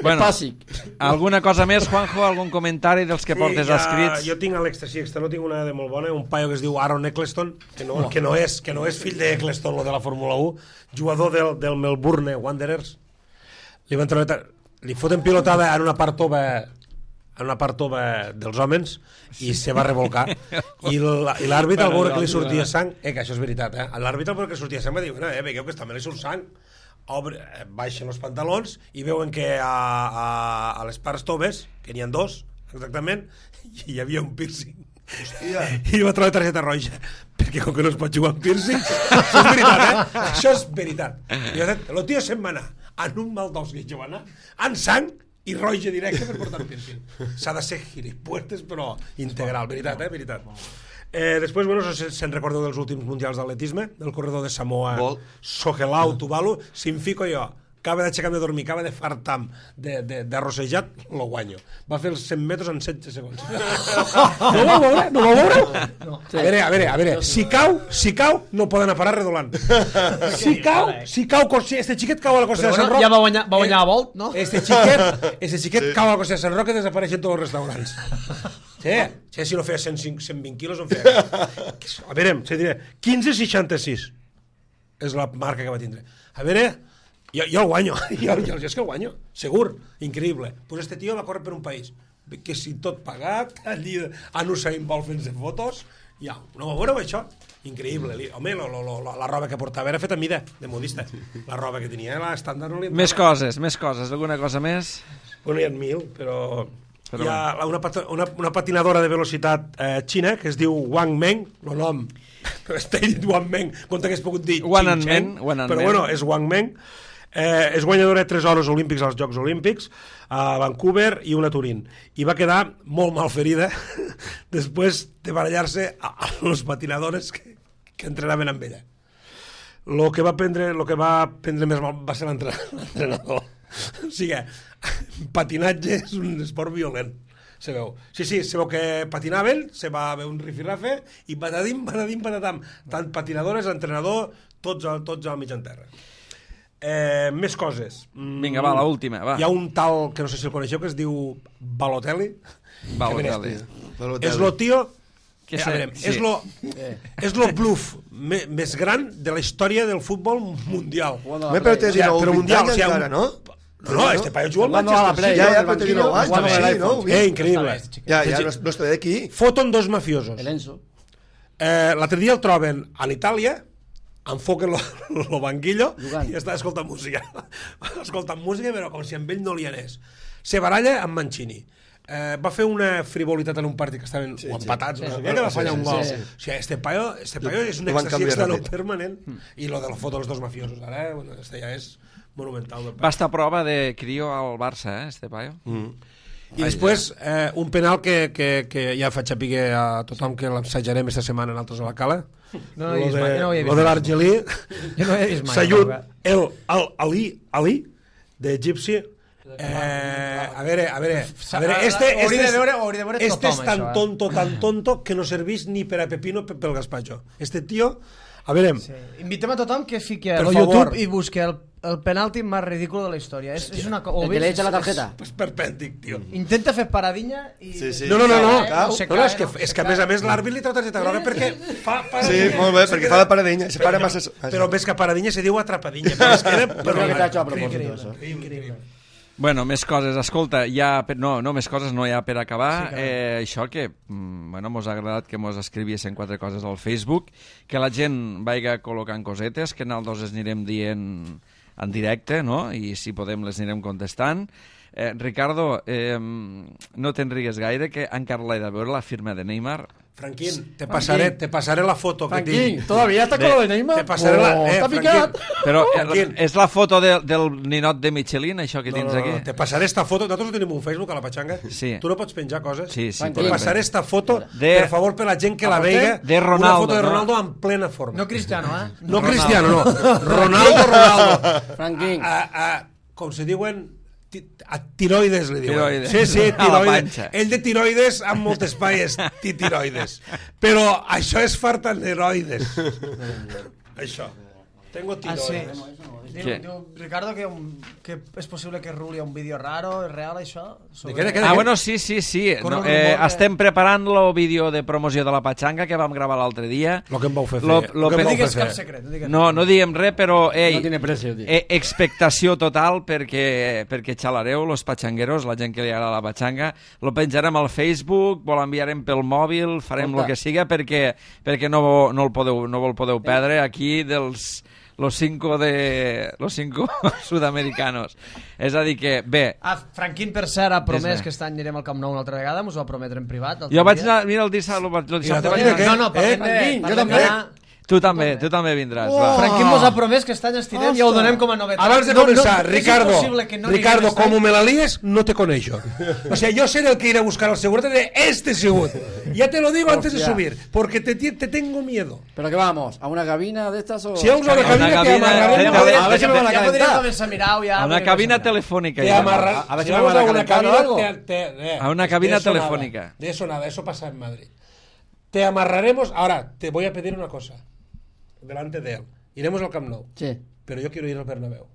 Bueno, Bàsic. alguna cosa més, Juanjo? Algun comentari dels que portes escrits? Jo tinc l'extra no tinc una de molt bona, un paio que es diu Aaron Eccleston, que no és fill d'Eccleston, lo de la Fórmula 1, jugador del Melbourne Wanderers. Li foten pilotada en una part tova dels homes i se va revolcar i l'àrbitre al veure que li sortia sang que això és veritat, l'àrbitre al veure que li sortia sang va dir, veieu que també li surt sang, baixen els pantalons i veuen que a les parts toves, que n'hi ha dos exactament, hi havia un piercing. Hòstia. I va trobar targeta roja perquè com que no es pot jugar amb piercings això és veritat, això és veritat. I el tio se'n va anar en un mal d'os que jo va anar en sang i roja directe per portar un piercing. S'ha de ser gilipuertes però integral, veritat, veritat. Després, bueno, no sé si se'n recordeu dels últims mundials d'atletisme, del corredor de Samoa, Sohelau Tuvalu. Si em fico jo, acaba d'aixecar-me de dormir, acaba de fartam d'arrossejat, lo guanyo. Va fer els 100 metres en 16 segons. No ho veure? No ho veure? No. A veure, si cau, no poden parar redolant. Si cau, este xiquet cau a la costa de Sant Roc. Ja va guanyar a Volt, no? Este xiquet cau a la costa de Sant Roc i desapareixen tots els restaurants. Sí, si no feia 120 quilos no feia. A veure, se diré 15,66 és la marca que va tindre. A veure, jo el guanyo, jo és que el guanyo, segur, increïble. Pues este tio va córrer per un país que si tot pagat, allí a Usain Bolt fent-se fotos, ja, no va veure això? Increïble. Home, la roba que portava era feta a mida, de modista. La roba que tenia, l'estàndard no li entrava. Més coses, alguna cosa més? Bueno, hi ha 1.000, però hi ha una patinadora de velocitat xina que es diu Wang Meng, el nom està dit Wang Meng, com t'hagués pogut dir Ching Cheng, però bueno, és Wang Meng. És guanyadora de 3 oros olímpics als Jocs Olímpics a Vancouver i una a Turín, i va quedar molt mal ferida després de barallar-se a les patinadores que entrenaven amb ella. El que va prendre més mal va ser l'entrenador. O sigui, patinatge és un esport violent, se veu. Sí, se veu que patinaven, se va haver un rifirrafe i patadim, patatam. Tant patinadores, entrenador, tots al mig en terra. Més coses. Vinga, va, l'última, va. Hi ha un tal, que no sé si el coneixeu, que es diu Balotelli. És lo tio... És lo bluff més gran de la història del futbol mundial. Però mundial encara, no? No, este paio juga al Manchester. Ja, però té 19 anys, no? Increïble. Ja, no està d'aquí. Foten dos mafiosos. El Enzo. L'altre dia el troben a l'Itàlia, enfoquen lo banquillo i està escoltant música. Escoltant música, però com si amb ell no li anés. Se baralla amb Mancini. Va fer una frivolitat en un partit que estaven empatats, no sé què, que va fallar un gol. O sigui, este paio és un èxtasi permanent. I lo de la foto dels dos mafiosos, ara, bueno, este ja és monumental. Va estar a prova de crio al Barça, este paio. I després, un penal que ja faig saber a tothom que l'ensajarem esta setmana en altres a la Cala. No he vist mai. Lo de l'Argelí. Jo no he vist mai. Sayud Ali, de Gypsy. A veure, este és tan tonto que no serveix ni per a Pepino pel gazpacho. Este tio, a veure... Invitem a tothom que fiqui a YouTube i busqui el penalti més ridícul de la història. És una cosa... El que le echa la tarjeta. És perpèntic, tio. Intenta fer paradinya i... No. És que a més l'àrbit li treu targeta groga perquè fa Sí, molt bé, perquè fa la paradinya. Però més que paradinya se diu atrapadinya. Però es queda... Però que t'ha hecho a propòsito, eso. Increïble. Bueno, més coses. Escolta, més coses no hi ha per acabar. Això que, mos ha agradat que mos escriviessin 4 coses al Facebook, que la gent vaiga col·locant cosetes, que nosaltres les anirem dient en directe, no? I si podem les anirem contestant. Ricardo, no te'n rigues gaire, que encara l'he de veure la firma de Neymar. Franquín, te pasaré la foto que tinc. Franquín, ¿todavía está con lo de Neymar? Te pasaré está picat. Però és la foto del ninot de Michelin, això que tens aquí? Te pasaré esta foto. Nosaltres tenim un Facebook a la Pachanga. Sí. Tu no pots penjar coses. Sí. Te pasaré esta foto, per favor, per la gent que la veiga. De Ronaldo. Una foto de Ronaldo en plena forma. No Cristiano, No Cristiano, no. Ronaldo. Franquín. Com se diuen... Tiroides, li diuen. Tiroides. Sí, A la tiroides. panxa. Ell de tiroides amb molt espai és tiroides. Però això és fartaneroides. Això. Tengo tiroides. Diu Ricardo que és possible que ruli un vídeo raro, és real això? Bueno, sí. Corre No, un rumor estem preparant el vídeo de promoció de la Pachanga que vam gravar l'altre dia. Lo que em vau fer Lo fer. No pe- digues cap secret. No diem res, però No tiene precio, tío. expectació total perquè xalareu, los pachangueros, la gent que li agrada la pachanga. Lo penjarem al Facebook, lo enviarem pel mòbil, farem el que siga perquè no el podeu perdre aquí dels los cinco sud-americanos. És a dir que, bé... Franquín, per cert, ha promès Dis-me. que aquest any anirem al Camp Nou una altra vegada, m'ho va prometre en privat. Jo vaig anar, mira, el dissabte vaig anar... No, parlem Franquín, de... jo també. Tu també vindràs, va. Franquín mos ha promès que aquest any estirem i ho donem com a novetat. Abans de començar, Ricardo, Ricardo, como me la líes, no te coneixo. O sea, yo seré el que iré a buscar al seguro de este seguro. Ya te lo digo antes de Hostia. subir, porque te tengo miedo. ¿Pero qué vamos? ¿A una cabina de estas o...? Si vamos a una Una cabina, te cabina, amarraremos. a ver si me van a Ja podríem calentar. començar a mirar-ho ja. A una cabina telefònica. Te ja. amarra... A ver si si me vamos van a a una calentar o algo. cabina... A una cabina de eso telefónica. nada, de eso nada, eso pasa en Madrid. Te amarraremos... Ahora, te voy a pedir una cosa. Delante de él. Iremos al Camp Nou. Sí. Pero yo quiero ir al Bernabéu.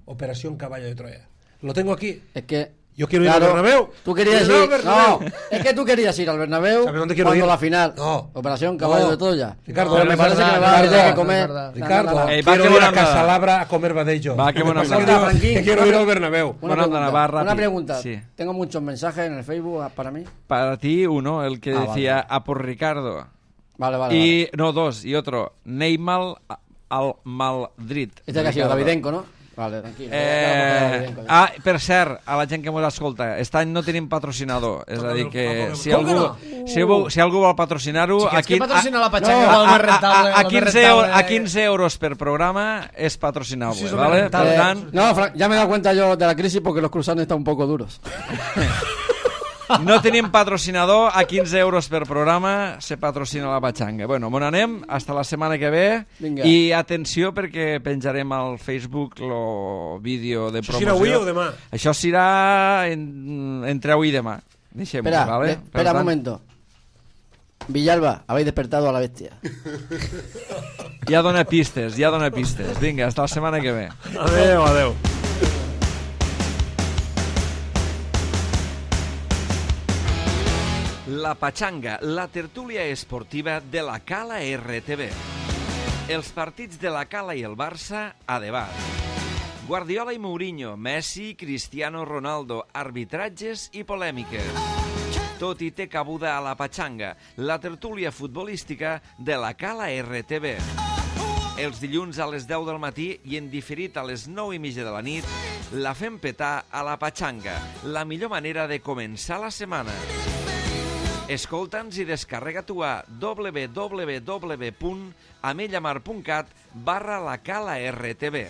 Operación Caballo de Troya. Lo tengo aquí. Es que... Yo quiero ir al Bernabéu. Tú querías Quiero ir ir... al Bernabéu. No, es que tú querías ir al Bernabéu ¿Sabes dónde quiero cuando ir? la final. No. Operación Caballo No. de Troya. Ricardo, Pero no me es parece que me verdad, vas a tener que Ricardo, comer... no es verdad. Ricardo, Va, quiero que ir a bona Casa onda. Labra a comer badello. Va, que bona Es que onda. digo Franquín, que quiero ir al Bernabéu. Una Bueno, anda, pregunta, va rápido. una pregunta. Sí. Tengo muchos mensajes en el Facebook para mí. Para ti, uno, el que Ah, decía vale. a por Ricardo. Vale. Y, no, dos, y otro, Neymar al Madrid. Este que ha sido Ricardo. Davidenko, ¿no? Vale, tranquilo. Davidenko, ya. Per cert, a la gent que ens escolta, aquest any no tenim patrocinador, és a dir que si Com que algú, si algú vol patrocinar-ho... Xiquets, qui patrocina la Pachanga? no, Igual més rentable, a el més 15 rentable. a 15 euros per programa és patrocinable, Sí, és el ¿vale? més rentable. Per tant, No, ya me he dado cuenta yo de la crisis porque los cruzanes están un poco duros. no tenim patrocinador, a 15 euros per programa se patrocina la Pachanga. Bueno, mon anem, hasta la setmana que ve. Vinga. I atenció perquè penjarem al Facebook el vídeo de Això promoció. serà avui o demà? Això serà entre avui i demà. Deixem-ho, Espera, ¿vale? Per espera un tant, momento. Villalba, habéis despertado a la bestia. Ja dona pistes. Vinga, hasta la setmana que ve. Adeu. La Pachanga, la tertúlia esportiva de la Cala RTV. Els partits de la Cala i el Barça a debat. Guardiola i Mourinho, Messi, Cristiano Ronaldo, arbitratges i polèmiques. Tot hi té cabuda a la Pachanga, la tertúlia futbolística de la Cala RTV. Els dilluns a les 10 del matí i en diferit a les 9:30 de la nit, la fem petar a la Pachanga, la millor manera de començar la setmana. Escolta'ns i descarrega-t'ho a www.amellamar.cat/la Cala RTV.